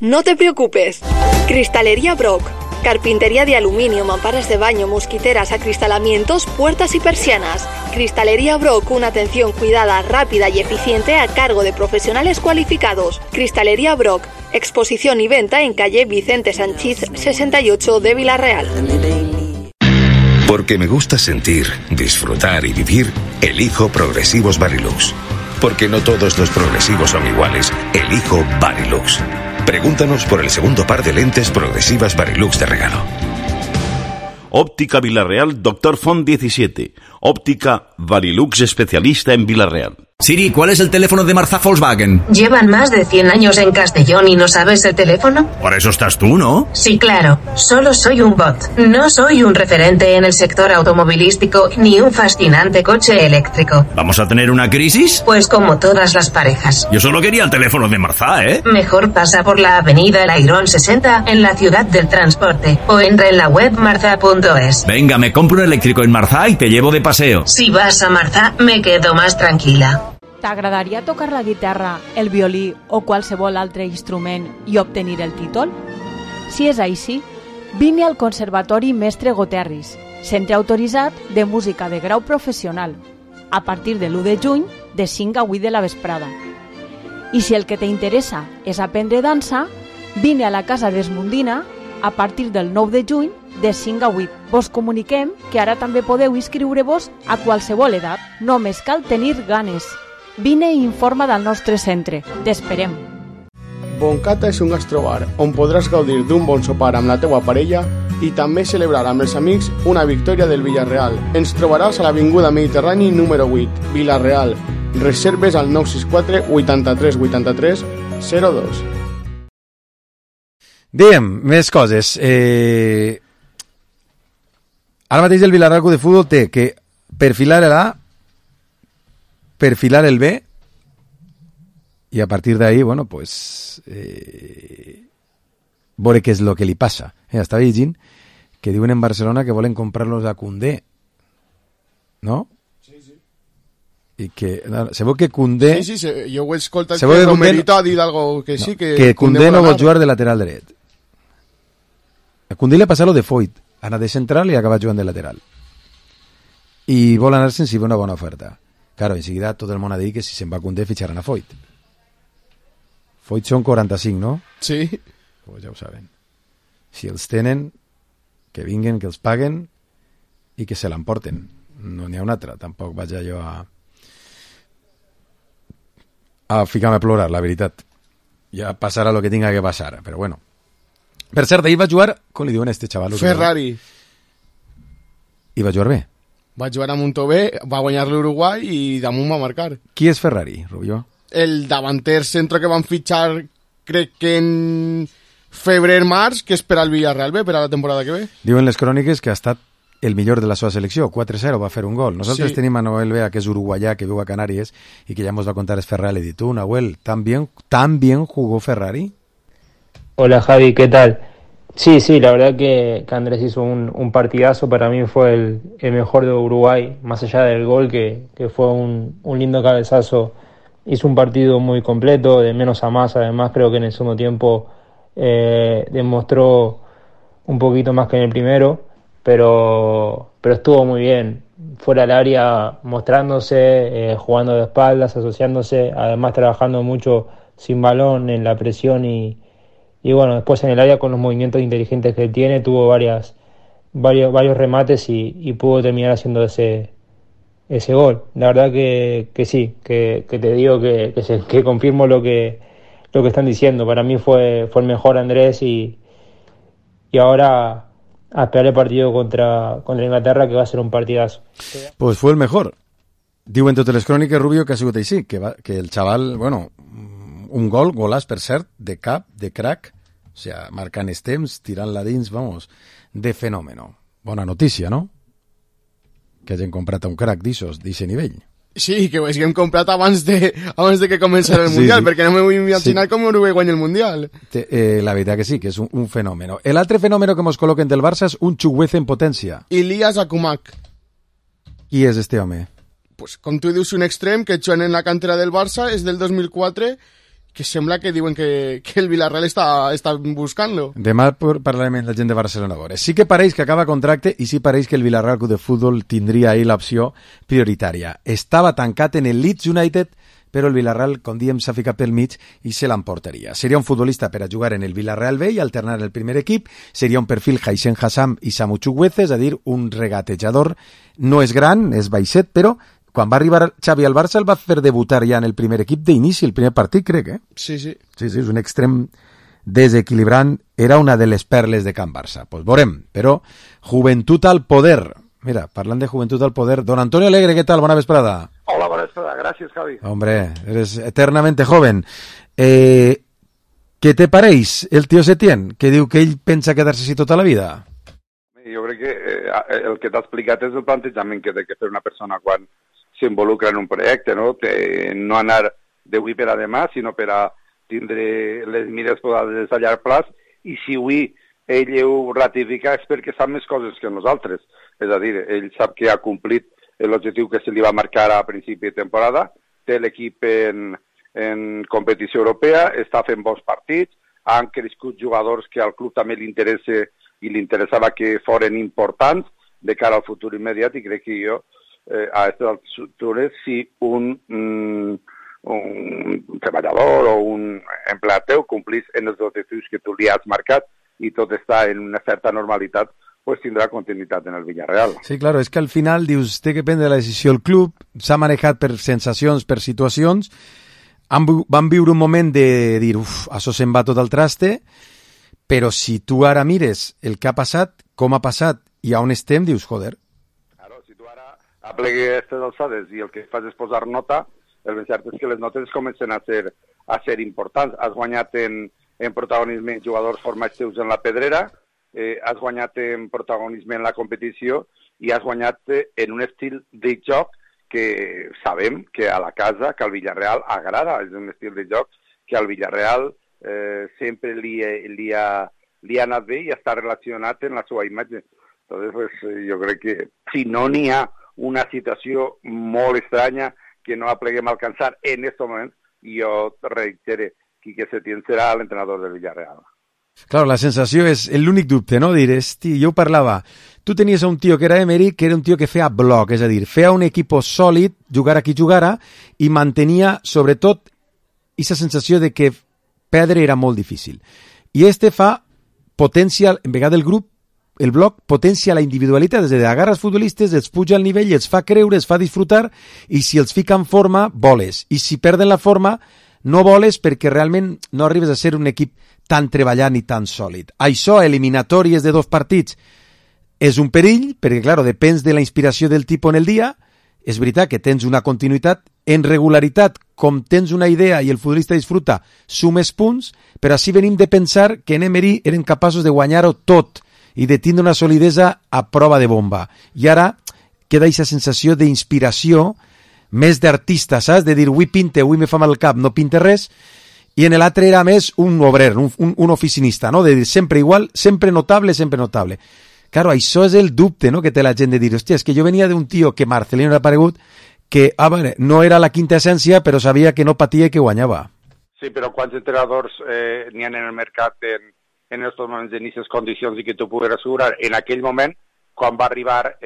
No te preocupes. Cristalería Brock. Carpintería de aluminio, mamparas de baño, mosquiteras, acristalamientos, puertas y persianas. Cristalería Brock, una atención cuidada, rápida y eficiente a cargo de profesionales cualificados. Cristalería Brock. Exposición y venta en calle Vicente Sanchís 68 de Villarreal. Porque me gusta sentir, disfrutar y vivir, elijo Progresivos Varilux. Porque no todos los progresivos son iguales, elijo Varilux. Pregúntanos por el segundo par de lentes progresivas Varilux de regalo. Óptica Villarreal, Dr. Font 17. Óptica Varilux, especialista en Villarreal. Siri, ¿cuál es el teléfono de Marzá Volkswagen? ¿Llevan más de 100 años en Castellón y no sabes el teléfono? Para eso estás tú, ¿no? Sí, claro. Solo soy un bot. No soy un referente en el sector automovilístico ni un fascinante coche eléctrico. ¿Vamos a tener una crisis? Pues como todas las parejas. Yo solo quería el teléfono de Marzá, ¿eh? Mejor pasa por la avenida El Airón 60 en la ciudad del transporte o entra en la web marza.es. Venga, me compro un eléctrico en Marzá y te llevo de paseo. Si vas a Marzá, me quedo más tranquila. T'agradaria tocar la guitarra, el violí o qualsevol altre instrument i obtenir el títol? Si és així, vine al Conservatori Mestre Goterris, centre autoritzat de música de grau professional, a partir de l'1 de juny de 5 a 8 de la vesprada. I si el que t'interessa és aprendre dansa, vine a la Casa d'Esmundina a partir del 9 de juny de 5 a 8. Vos comuniquem que ara també podeu inscriure-vos a qualsevol edat. Només cal tenir ganes. Vine i informa del nostre centre. T'esperem. Boncata és un gastrobar on podràs gaudir d'un bon sopar amb la teua parella i també celebrar amb els amics una victòria del Villarreal. Ens trobaràs a l'Avinguda Mediterrani número 8, Villarreal. Reserves al 964 83 83 02. Diem, més coses. Ara mateix el Villarreal Club de Futbol té que perfilar l'A, perfilar el B y a partir de ahí, bueno, pues veure què és lo que li passa. Estava llegint que diuen en Barcelona que volen comprar-los a Koundé, ¿no? Sí, sí. I que, se veu que Koundé... Sí, sí, jo ho he escoltat que Romerito ha dit algo que sí, que Koundé no vol jugar de lateral dret. A Koundé li ha passat lo de Foyt, anar de central i acaba jugant de lateral. i vol anar-se'n si ve una bona oferta. Claro, en seguida tot el món ha dit que si se'n va Koundé fitxaran a Foyt. Foyt són 45, no? Sí. Pues ja ho saben. Si els tenen, que vinguen, que els paguen i que se l'emporten. No n'hi ha una altra. Tampoc vaig jo a ficar-me a plorar, la veritat. Ja passarà el que tinga que passar, però bueno. Per cert, ahir va jugar, com li diuen a este xaval? Ferrari. I va jugar bé. Va jugar a Montové, va guanyar l'Uruguai i damunt va marcar. Qui és Ferrari, Rubió? El davanter centre que van fitxar, crec que en febrer-març, que és per al Villarreal B, per a la temporada que ve. Diuen les cròniques que ha estat el millor de la seva selecció, 4-0, va fer un gol. Nosaltres tenim a Noel Bea, que és uruguayà, que viu a Canàries, i que ja ens va contar es Ferrari. I tu, Nahuel, ¿tan bien jugó Ferrari? Hola Javi, ¿qué tal? Sí, la verdad que Andrés hizo un partidazo, para mí fue el mejor de Uruguay, más allá del gol que fue un lindo cabezazo. Hizo un partido muy completo, de menos a más, además creo que en el segundo tiempo demostró un poquito más que en el primero, pero estuvo muy bien, fuera del área mostrándose, jugando de espaldas, asociándose, además trabajando mucho sin balón en la presión y bueno, después en el área con los movimientos inteligentes que tiene, tuvo varios remates y pudo terminar haciendo ese gol. La verdad que sí, que te digo que confirmo lo que están diciendo. Para mí fue el mejor Andrés y ahora a esperar el partido contra Inglaterra, que va a ser un partidazo. Pues fue el mejor. Diuen totes les cròniques, Rubio, que ha sigut així, que el xaval, bueno, un golàs, per cert, de cap, de crack, o sea, marcant els temps, tirant-la dins, vamos, de fenòmeno. Bona notícia, no? Que hagin comprat un crack d'eixe nivell. Sí, que ho haguem comprat abans de que començara el Mundial, perquè no me vull imaginar com Uruguai guanya el Mundial. La veritat que sí, que és un fenòmeno. El altre fenòmeno que ens col·loquen del Barça és un Chukwueze en potència. Ilias Akumak. Qui és este home? Pues, com tu dius, un extrem que juga en la cantera del Barça, és del 2004, que sembla que diuen que el Villarreal està buscant-lo. Demà parlarem amb la gent de Barcelona. Sí que pareix que acaba contracte i sí pareix que el Villarreal Club de Futbol tindria ahí l'opció prioritària. Estava tancat en el Leeds United, però el Villarreal, com diem, s'ha ficat pel mig i se l'emportaria. Seria un futbolista per a jugar en el Villarreal B i alternar el primer equip. Seria un perfil Haixen Hassam i Samu Chukwueze, és a dir, un regatejador. No és gran, és baixet, però quan va arribar Xavi al Barça el va fer debutar ja en el primer equip d'inici, el primer partit, crec, eh? Sí, és un extrem desequilibrant, era una de les perles de Can Barça. Pues veurem, però joventut al poder. Mira, parlant de joventut al poder, don Antonio Alegre, què tal? Bona vesprada. Hola, bona vesprada, gràcies, Javi. Hombre, eres eternamente joven. Què te pareix el tio Setién, que diu que ell pensa quedar-se així tota la vida? Jo crec que el que t'ha explicat és el plantejament que té que fer una persona quan s'involucra en un projecte, no? No anar d'avui per a demà, sinó per a tindre les mires posades a llarg plaç, i si avui ell ho ratifica és perquè sap més coses que nosaltres. És a dir, ell sap que ha complit l'objectiu que se li va marcar a principi de temporada, té l'equip en competició europea, està fent bons partits, han crescut jugadors que al club també li interessa i li interessava que foren importants de cara al futur immediat, i crec que jo a aquestes altures, si un treballador o un empleat teu complís en els objectius que tu li has marcat i tot està en una certa normalitat, pues tindrà continuïtat en el Villarreal. Sí, claro, és que al final dius, té que prendre la decisió el club, s'ha manejat per sensacions, per situacions, van viure un moment de dir, això se'n va tot al traste, però si tu ara mires el que ha passat, com ha passat i on estem, dius, joder. Aplegui aquestes alçades i el que fas és posar nota, el ben cert és que les notes comencen a ser importants. Has guanyat en protagonisme jugadors formats teus en la pedrera, has guanyat en protagonisme en la competició i has guanyat en un estil de joc que sabem que a la casa, que al Villarreal agrada. És un estil de joc que al Villarreal sempre li ha anat bé i està relacionat en la seva imatge. Entonces, pues, jo crec que si no n'hi ha una situació molt estranya que no apleguem a alcançar en aquest moment, jo reitero, Quique Setién serà l'entrenador del Villarreal. Claro, la sensació és l'únic dubte, no? Dir, jo ho parlava, tu tenies un tio que era Emery, que era un tio que feia bloc, és a dir, feia un equip sòlid, jugara qui jugara, i mantenia, sobretot, aquesta sensació de que perdre era molt difícil. I fa potència, en vegada el grup, el bloc potencia la individualitat, és a dir, agarra els futbolistes, els puja al nivell, els fa creure, els fa disfrutar, i si els fica en forma, voles. I si perden la forma, no voles perquè realment no arribes a ser un equip tan treballant i tan sòlid. Això, eliminatòries de 2 partits, és un perill, perquè, clar, depèn de la inspiració del tipus en el dia. És veritat que tens una continuïtat en regularitat, com tens una idea i el futbolista disfruta, sumes punts, però així venim de pensar que en Emery eren capaços de guanyar-ho tot i de tindre una solidesa a prova de bomba. I ara queda aquesta sensació d'inspiració, més d'artista, saps? De dir, avui pinte, avui me fa mal el cap, no pinte res, i en l'altre era més un obrer, un oficinista, no? De dir, sempre igual, sempre notable, sempre notable. Claro, això és el dubte, no?, que té la gent de dir, hòstia, és que jo venia d'un tio que Marcelino era paregut, que no era la quinta essència, però sabia que no patia i que guanyava. Sí, però quants entrenadors n'hi ha en el mercat en estos moments en aquestes condicions i que tu puguis assegurar? En aquell moment, quan va arribar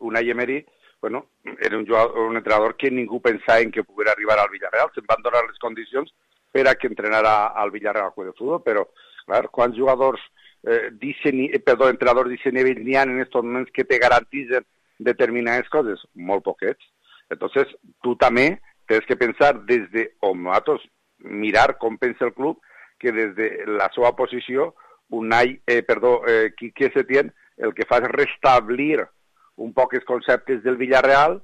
Unai Emery, bueno, era un entrenador que ningú pensava en que pogués arribar al Villarreal. Se'n van donar les condicions per a que entrenara al Villarreal al Club de Futbol, però, clar, quants jugadors entrenadors d'aquest nivell n'hi ha en aquests moments que te garantitzen determinades coses? Molt poquets. Entonces, tu també tens que pensar des de, o nosaltres, mirar com pensa el club, que des de la seva posició, Quique Setién, el que fa és restablir un poc els conceptes del Villarreal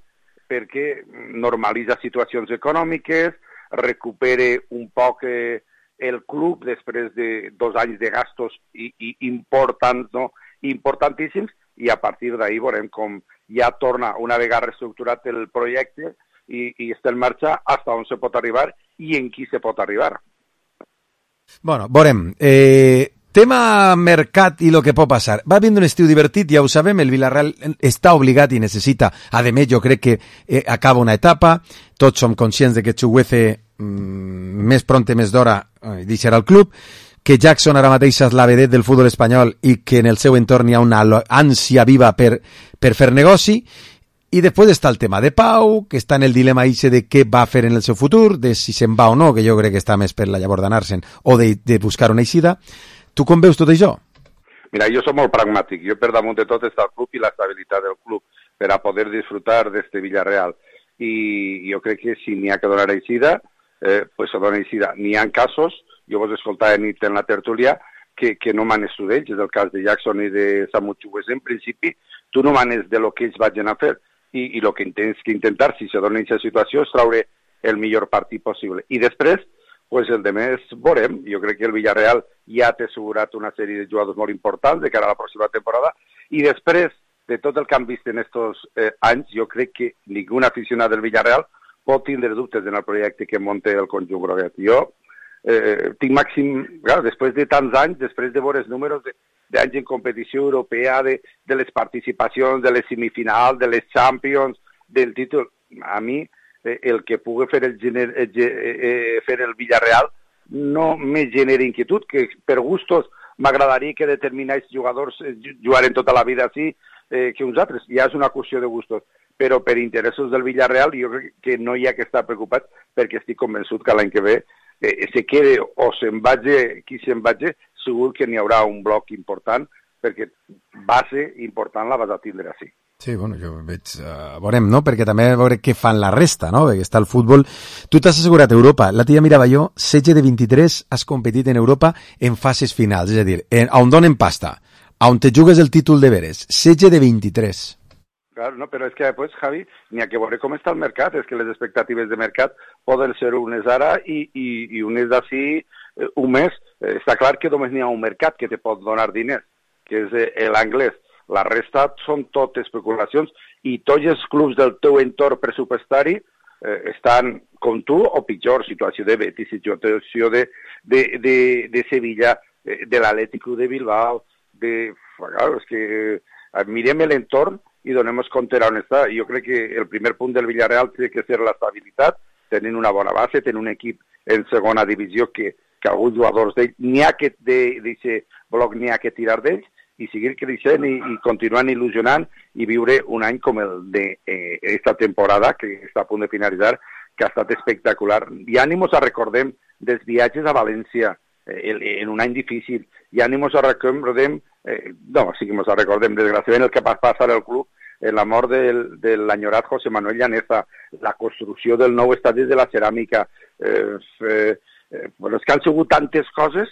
perquè normalitza situacions econòmiques, recupere un poc el club després de 2 anys de gastos importants, no? Importantíssims, i a partir d'ahir veurem com ja torna una vegada reestructurat el projecte i està en marxa fins on se pot arribar i en qui se pot arribar. Bueno, veurem. Tema mercat i el que pot passar. Va vindre un estiu divertit, ja ho sabem, el Villarreal està obligat i necessita. A més, jo crec que acaba una etapa, tots som conscients de que Chukwueze més pronte, més d'hora deixarà el club, que Jackson ara mateix és la vedet del futbol espanyol i que en el seu entorn hi ha una ànsia viva per fer negoci. I després està el tema de Pau, que està en el dilema de què va fer en el seu futur, de si se'n va o no, que jo crec que està més per la llavor d'anar-se'n, o de buscar una eixida. Tu com veus tot això? Mira, jo soc molt pragmàtic. Jo per damunt de tot està el club i l'estabilitat del club per a poder disfrutar d'este Villarreal. I jo crec que si n'hi ha que donar eixida, pues se dona eixida. N'hi ha casos, jo vos escoltava nit en la tertúlia, que no manes tu d'ells. És el cas de Jackson i de Samu Chukwueze. En principi, tu no manes de lo que ells vagin a fer. I el que tens que intentar, si se dona aquesta situació, és treure el millor partit possible. I després, pues el de més veurem. Jo crec que el Villarreal ja té assegurat una sèrie de jugadors molt importants de cara a la pròxima temporada. I després de tot el que han vist en aquests anys, jo crec que ningú aficionat del Villarreal pot tindre dubtes en el projecte que munta el conjunt groguet. Jo tinc màxim, clar, després de tants anys, després de veure els números d'anys en competició europea, de les participacions, de les semifinals, de les Champions, del títol, a mi el que pugui fer el Villarreal no me genera inquietud, que per gustos m'agradaria que determinats jugadors jugaren tota la vida així que uns altres, ja és una qüestió de gustos, però per interessos del Villarreal jo crec que no hi ha que estar preocupat perquè estic convençut que l'any que ve se quede o se'n vagi qui se'n vagi, segur que n'hi haurà un bloc important perquè base important la vas a tindre així. Sí, bueno, jo veig, veurem, no? Perquè també veure què fan la resta, no? Perquè està el futbol. Tu t'has assegurat Europa. L'altre dia mirava jo, 16 de 23 has competit en Europa en fases finals, és a dir, on donen pasta, on te jugues el títol de veres, 16 de 23. Claro, no, però és que després, Javi, n'hi ha que veure com està el mercat, és que les expectatives de mercat poden ser unes ara i unes d'ací un mes. Està clar que només n'hi ha un mercat que te pot donar diners, que és l'anglès. La resta són tot especulacions i tots els clubs del teu entorn pressupostari estan com tu o pitjor, situació de Betis, situació de Sevilla, de l'Atlético de Bilbao, és que mirem l'entorn i donem compte on està. Jo crec que el primer punt del Villarreal té que ser l'estabilitat, tenint una bona base, tenint un equip en segona divisió que que alguns jugadors d'ells n'hi ha que d'aquest bloc n'hi ha que tirar d'ells i seguir creixent i continuant il·lusionant i viure un any com el d'esta temporada que està a punt de finalitzar, que ha estat espectacular. I ànimos a recordem dels viatges a València en un any difícil, i ànimos a recordem, desgraciadament el que va passar al club, la mort de l'enyorat José Manuel Llaneza, la construcció del nou estadi de la ceràmica, és que han sigut tantes coses,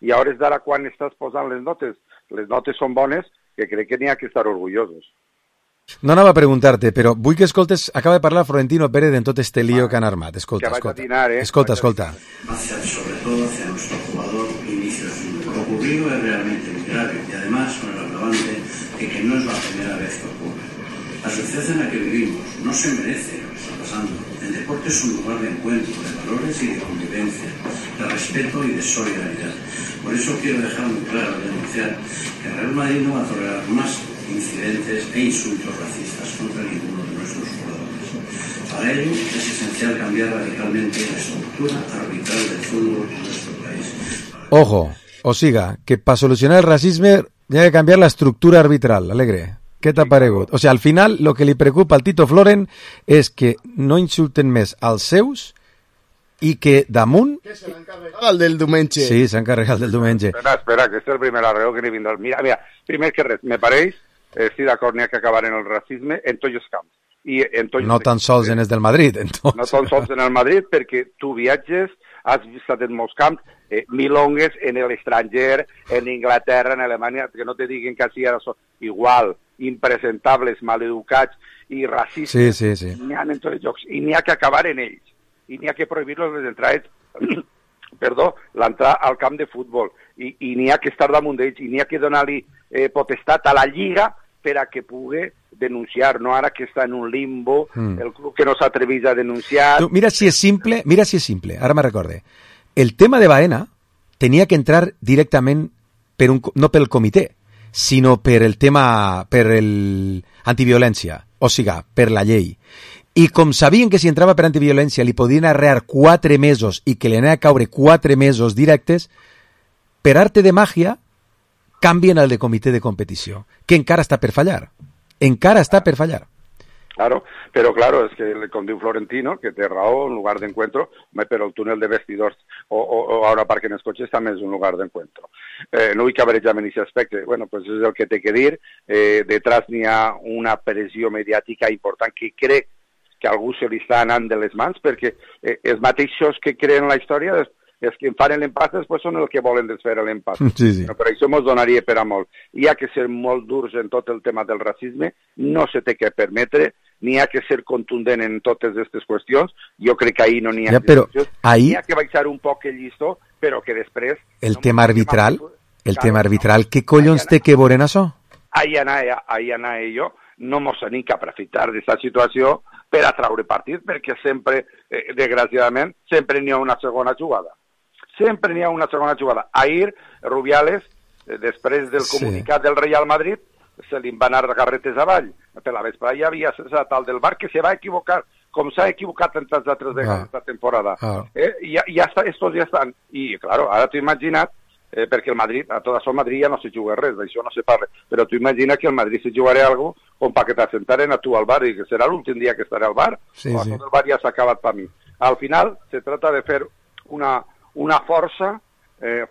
i a hores d'ara quan estàs posant les notes són bones, que crec que n'hi ha que estar orgullosos. No anava a preguntar-te, però vull que escoltes, acaba de parlar Florentino Pérez en tot este lío que han armat. Escolta. Escolta. Sobre todo hacia nuestro jugador Vinicius. Lo ocurrido es realmente muy grave y además con el agravante de que no es la primera vez que ocurre. La sociedad en la que vivimos no se merece lo que está pasando. El deporte es un lugar de encuentro, de valores y de convivencia, de respeto y de solidaridad. Por eso quiero dejar muy claro y denunciar que Real Madrid no va a tolerar más incidentes e insultos racistas contra ninguno de nuestros jugadores. Para ello es esencial cambiar radicalmente la estructura arbitral del fútbol en nuestro país. Ojo, o siga, que para solucionar el racismo hay que cambiar la estructura arbitral. Alegre, què t'ha paregut? O sigui, al final, lo que li preocupa al Tito Floren és que no insulten més als seus i que damunt... Que se l'han carregat el del diumenge. Sí, s'han carregat el del diumenge. Espera, que este és el primer arreu que n'hi vindrà. Mira, primer que res, me pareix, estic d'acord, n'hi ha que acabar en el racisme en tots els camps. No tan sols en els del Madrid, entonces. No tan sols en el Madrid, perquè tu viatges, has estat en molts camps, milongues en l'estranger, en Inglaterra, en Alemanya, que no te diguin que així ara són igual, impresentables, maleducats i racistes. Sí. N'hi ha en tots els jocs, i n'hi ha que acabar en ells. I n'hi ha que prohibir-los les entrades, l'entrar al camp de futbol, i n'hi ha que estar damunt d'ells, i n'hi ha que donar-li potestat a la Lliga per a que pugui denunciar, no ara que està en un limbo, el club que no s'atreveix a denunciar... Tu, mira si és simple, ara me recorde. El tema de Baena tenia que entrar directament no pel comitè, sinó per el tema, per el antiviolència, o sigui, per la llei. I com sabien que si entrava per antiviolència li podien arrear 4 mesos i que li anava a caure 4 mesos directes, per arte de màgia canvien el de comitè de competició, que encara està per fallar. Claro, pero claro, es que com diu Florentino, que té raó, un lugar d'encuentro, però el túnel de vestidors o ara parquen els cotxes també és un lugar d'encuentro. No vull que averejam en aquest aspecte, bueno, pues és el que té que dir, detrás n'hi ha una pressió mediàtica important que crec que a algú se li està anant de les mans, perquè els mateixos que creen la història els que fan l'empat després són els que volen desfer l'empat. Sí. No, per això mos donaria per a molt. Hi ha que ser molt durs en tot el tema del racisme, no se té que permetre, n'hi ha que ser contundent en totes aquestes qüestions, jo crec que ahir no n'hi ha discussions, n'hi ha que baixar un poc el llistó, però que després... El tema arbitral, què collons té que veure en això? Ahí anava jo, no mos n'hi que aprofitar d'aquesta situació per a traure partit, perquè sempre, desgraciadament, sempre n'hi ha una segona jugada. Sempre n'hi ha una segona jugada. Ahir, Rubiales, després del comunicat del Real Madrid, se li van anar carretes avall. Per la vesprada hi havia esa tal del bar que se va equivocar, com s'ha equivocat en tantes altres vegades esta temporada. Ja està, estos ja estan. I, claro, ara t'ho imagina't, perquè el Madrid, a tot això el Madrid ja no se juga res, d'això no se parla, però tu imagina que el Madrid se jugarà algo com perquè t'assentaren a tu al bar i que serà l'últim dia que estaré al bar, o tot el bar ja s'ha acabat per mi. Al final, se trata de fer una força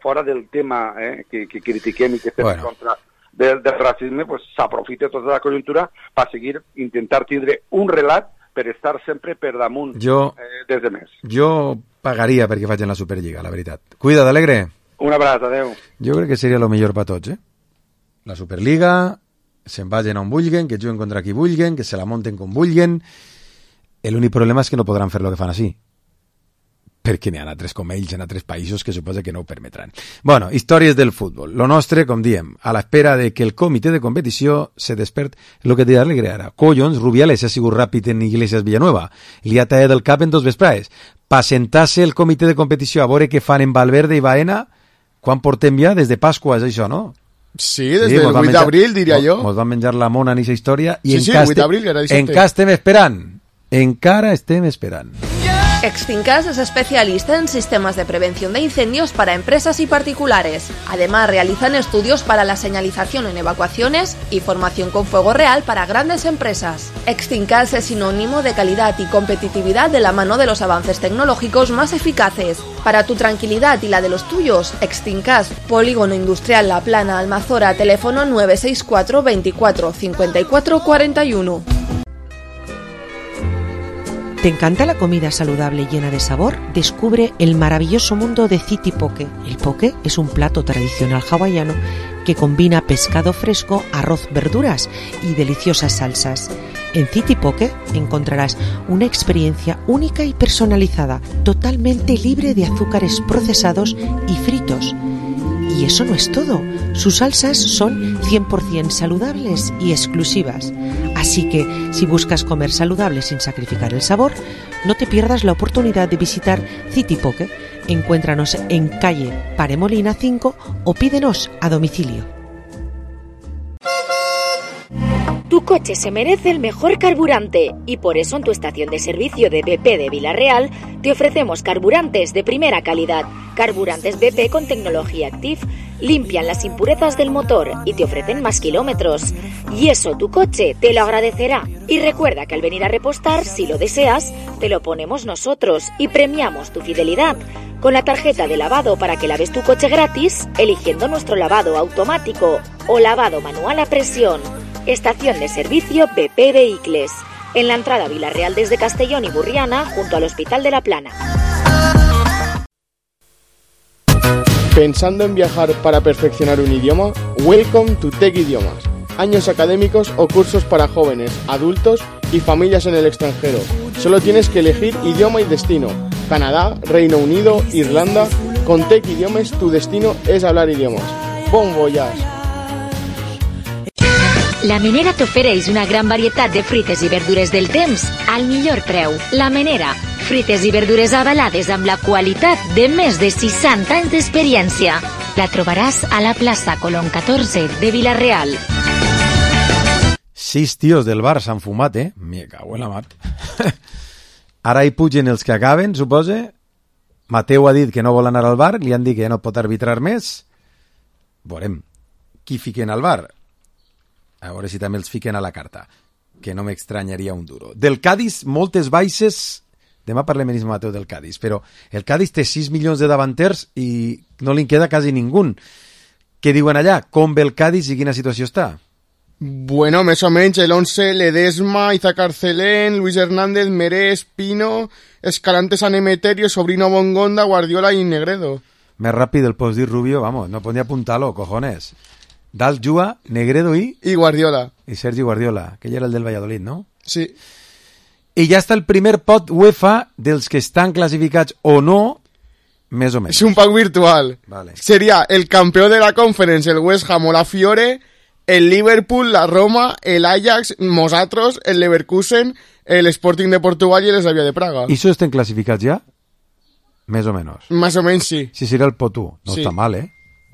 fora del tema que critiquem i que estem en contra del racisme, pues s'aprofita tota la conjuntura per seguir, intentar tindre un relat per estar sempre per damunt des de més. Jo pagaria perquè facin la Superliga, la veritat. Cuida't, Alegre. Un abraç, adeu. Jo crec que seria el millor per tots, La Superliga, se'n vagin on vulguen, que juguen contra qui vulguen, que se la monten com vulguen. L'únic problema és que no podran fer el que fan així, perquè n'hi ha altres com ells en altres països que suposa que no ho permetran. Bueno, històries del futbol. Lo nostre, com diem, a l'espera de que el comitè de competició se despert, el que deia Alegre ara. Collons, Rubiales ha sigut ràpid en Iglesias Villanueva. Li ha tallat el cap en 2 vesprades. Pa sentar-se el comitè de competició a veure què fan en Valverde i Baena, quan portem ja? Des de Pasqua, és això, no? Sí, des del 8 d'abril, diria jo. Mos van menjar la mona en aquesta història i sí, 8 d'abril, era dissabte. encara estem esperant. Encara estem esperant. Extincas es especialista en sistemas de prevención de incendios para empresas y particulares. Además, realizan estudios para la señalización en evacuaciones y formación con fuego real para grandes empresas. Extincas es sinónimo de calidad y competitividad de la mano de los avances tecnológicos más eficaces. Para tu tranquilidad y la de los tuyos, Extincas, Polígono Industrial La Plana, Almazora, teléfono 964 24 54 41. ¿Te encanta la comida saludable llena de sabor? Descubre el maravilloso mundo de City Poke. El poke es un plato tradicional hawaiano que combina pescado fresco, arroz, verduras y deliciosas salsas. En City Poke encontrarás una experiencia única y personalizada, totalmente libre de azúcares procesados y fritos. Y eso no es todo. Sus salsas son 100% saludables y exclusivas. Así que, si buscas comer saludable sin sacrificar el sabor, no te pierdas la oportunidad de visitar City Poke. Encuéntranos en calle Paremolina 5 o pídenos a domicilio. Tu coche se merece el mejor carburante y por eso en tu estación de servicio de BP de Vila-real te ofrecemos carburantes de primera calidad. Carburantes BP con tecnología Active limpian las impurezas del motor y te ofrecen más kilómetros. Y eso tu coche te lo agradecerá. Y recuerda que al venir a repostar, si lo deseas, te lo ponemos nosotros y premiamos tu fidelidad con la tarjeta de lavado para que laves tu coche gratis eligiendo nuestro lavado automático o lavado manual a presión. Estación de servicio BP Vehicles, en la entrada a Vila-real desde Castellón y Burriana, junto al Hospital de la Plana. ¿Pensando en viajar para perfeccionar un idioma? Welcome to Tech Idiomas. Años académicos o cursos para jóvenes, adultos y familias en el extranjero. Solo tienes que elegir idioma y destino. Canadá, Reino Unido, Irlanda. Con Tech Idiomas tu destino es hablar idiomas. Bon voyage! La Menera t'ofereix una gran varietat de fruites i verdures del temps al millor preu. La Menera, fruites i verdures avalades amb la qualitat de més de 60 anys d'experiència. La trobaràs a la plaça Colón 14 de Vila-real. 6 tios del bar s'han fumat, Me cago en la mar. Ara hi pugen els que acaben, supose. Mateu ha dit que no vol anar al bar, li han dit que ja no pot arbitrar més. Veurem qui fiquen al bar. A veure si també els fiquen a la carta, que no m'extranyaria un duro. Del Cádiz, moltes baixes. Demà parlem en Mateu del Cádiz, però el Cádiz té 6 milions de davanters i no li queda quasi ningú. Què diuen allà? Com ve el Cádiz i quina situació està? Bueno, més o menys, el 11, Ledesma, Isaac Arcelén, Luis Hernández, Merés, Pino, Escalante, San Emeterio, Sobrino Bongonda, Guardiola i Negredo. Més ràpid el pots dir Rubio, vamos, no podria apuntar-lo, cojones. Dalt juga Negredo i Guardiola. I Sergi Guardiola, que ja era el del Valladolid, no? Sí. I ja està el primer pot UEFA dels que estan classificats o no, més o menys. És un pack virtual. Vale. Sería el campeón de la Conference, el West Ham o la Fiore, el Liverpool, la Roma, el Ajax, nosaltres, el Leverkusen, el Sporting de Portugal i el Slavia de Praga. I això estem classificats ja? Més o menys. Més o menys sí. Sí, seria el pot 1. No sí. Està mal,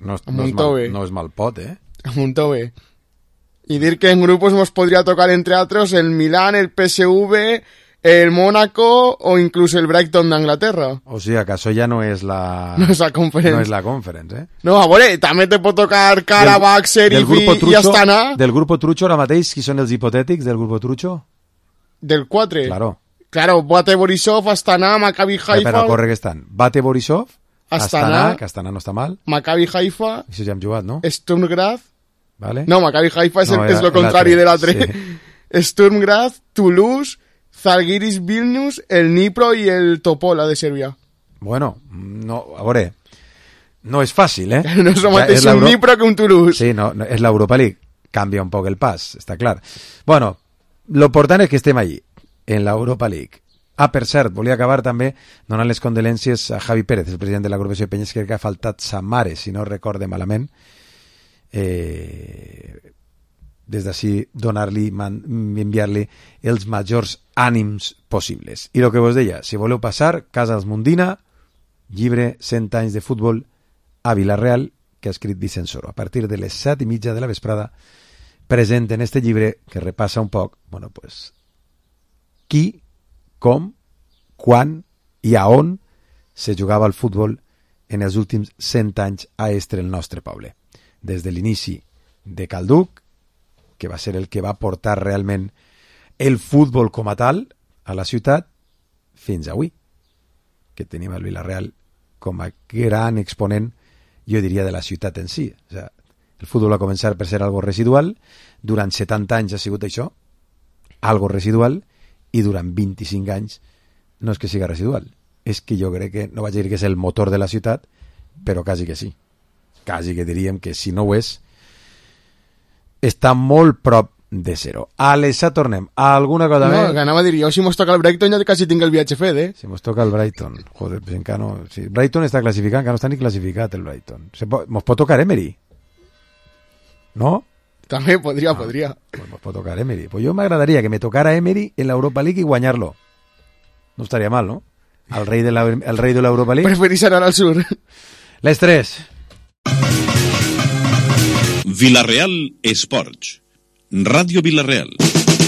No és mal pot, Amuntó bé. Y dir que en grupos nos podría tocar, entre otros, el Milán, el PSV, el Mónaco o incluso el Brighton de Inglaterra. O sigui, que això ja no és la... No és la Conference. No és la Conference, No, a veure, també te pot tocar Karabakh, Sheriff i Astana. Del grupo Trucho, ara mateix, qui són els hipotètics del grupo Trucho? Del 4? Claro, Bate Borisov, Astana, Maccabi Haifa... Però corre que estan. Bate Borisov, Astana, que Astana no està mal. Maccabi Haifa... Això ja hem jugat, no? Sturm Graz... Vale. No, Maccabi Haifa és lo contrari de l'altre. Sí. Sturm Graz, Toulouse, Zalgiris Vilnius, el Dnipro i el Topola de Sèrbia. Bueno, no, a veure, no és fàcil, No és el mateix un Dnipro que un Toulouse. Sí, no, és l'Europa League. Canvia un poc el pas, està clar. Bueno, lo important és que estem allí, en l'Europa League. Ah, per cert, volia acabar també donant les condolències a Javi Pérez, el president de l'agrupació Penyes, que ha faltat sa mare, si no recorde malament. Des d'ací donar-li, enviar-li els majors ànims possibles. I el que vos deia, si voleu passar, Casals Mundina, llibre 100 anys de futbol a Vila-real, que ha escrit Vicent Soro. A partir de les 7:30 de la vesprada presenten este llibre que repassa un poc, bueno, pues, qui, com, quan i a on se jugava el futbol en els últims 100 anys a Estre, el nostre poble. Des de l'inici de Calduc, que va ser el que va portar realment el futbol com a tal a la ciutat, fins avui, que tenim el Vila-real com a gran exponent, jo diria, de la ciutat en si. O sigui, el futbol va començar per ser algo residual, durant 70 anys ha sigut això, algo residual, i durant 25 anys no és que siga residual, és que jo crec que, no vaig dir que és el motor de la ciutat, però quasi que sí. Quasi que diríem que si no ho és, està molt prop de zero. Alessa, tornem. Alguna cosa més? No, que anava a dir, jo si mos toca el Brighton ja quasi tinc el viatge fet, eh? Si mos toca el Brighton. Joder, pues encara no... Sí, Brighton està classificat, encara no està ni classificat el Brighton. Mos pot tocar Emery? No? També podria. Pues mos pot tocar Emery. Pues jo m'agradaria que me tocara Emery en l'Europa League i guanyar-lo. No estaria mal, no? El rei de l'Europa League. Preferís anar al sur. Les 3. Vila-real Esports. Ràdio Vila-real.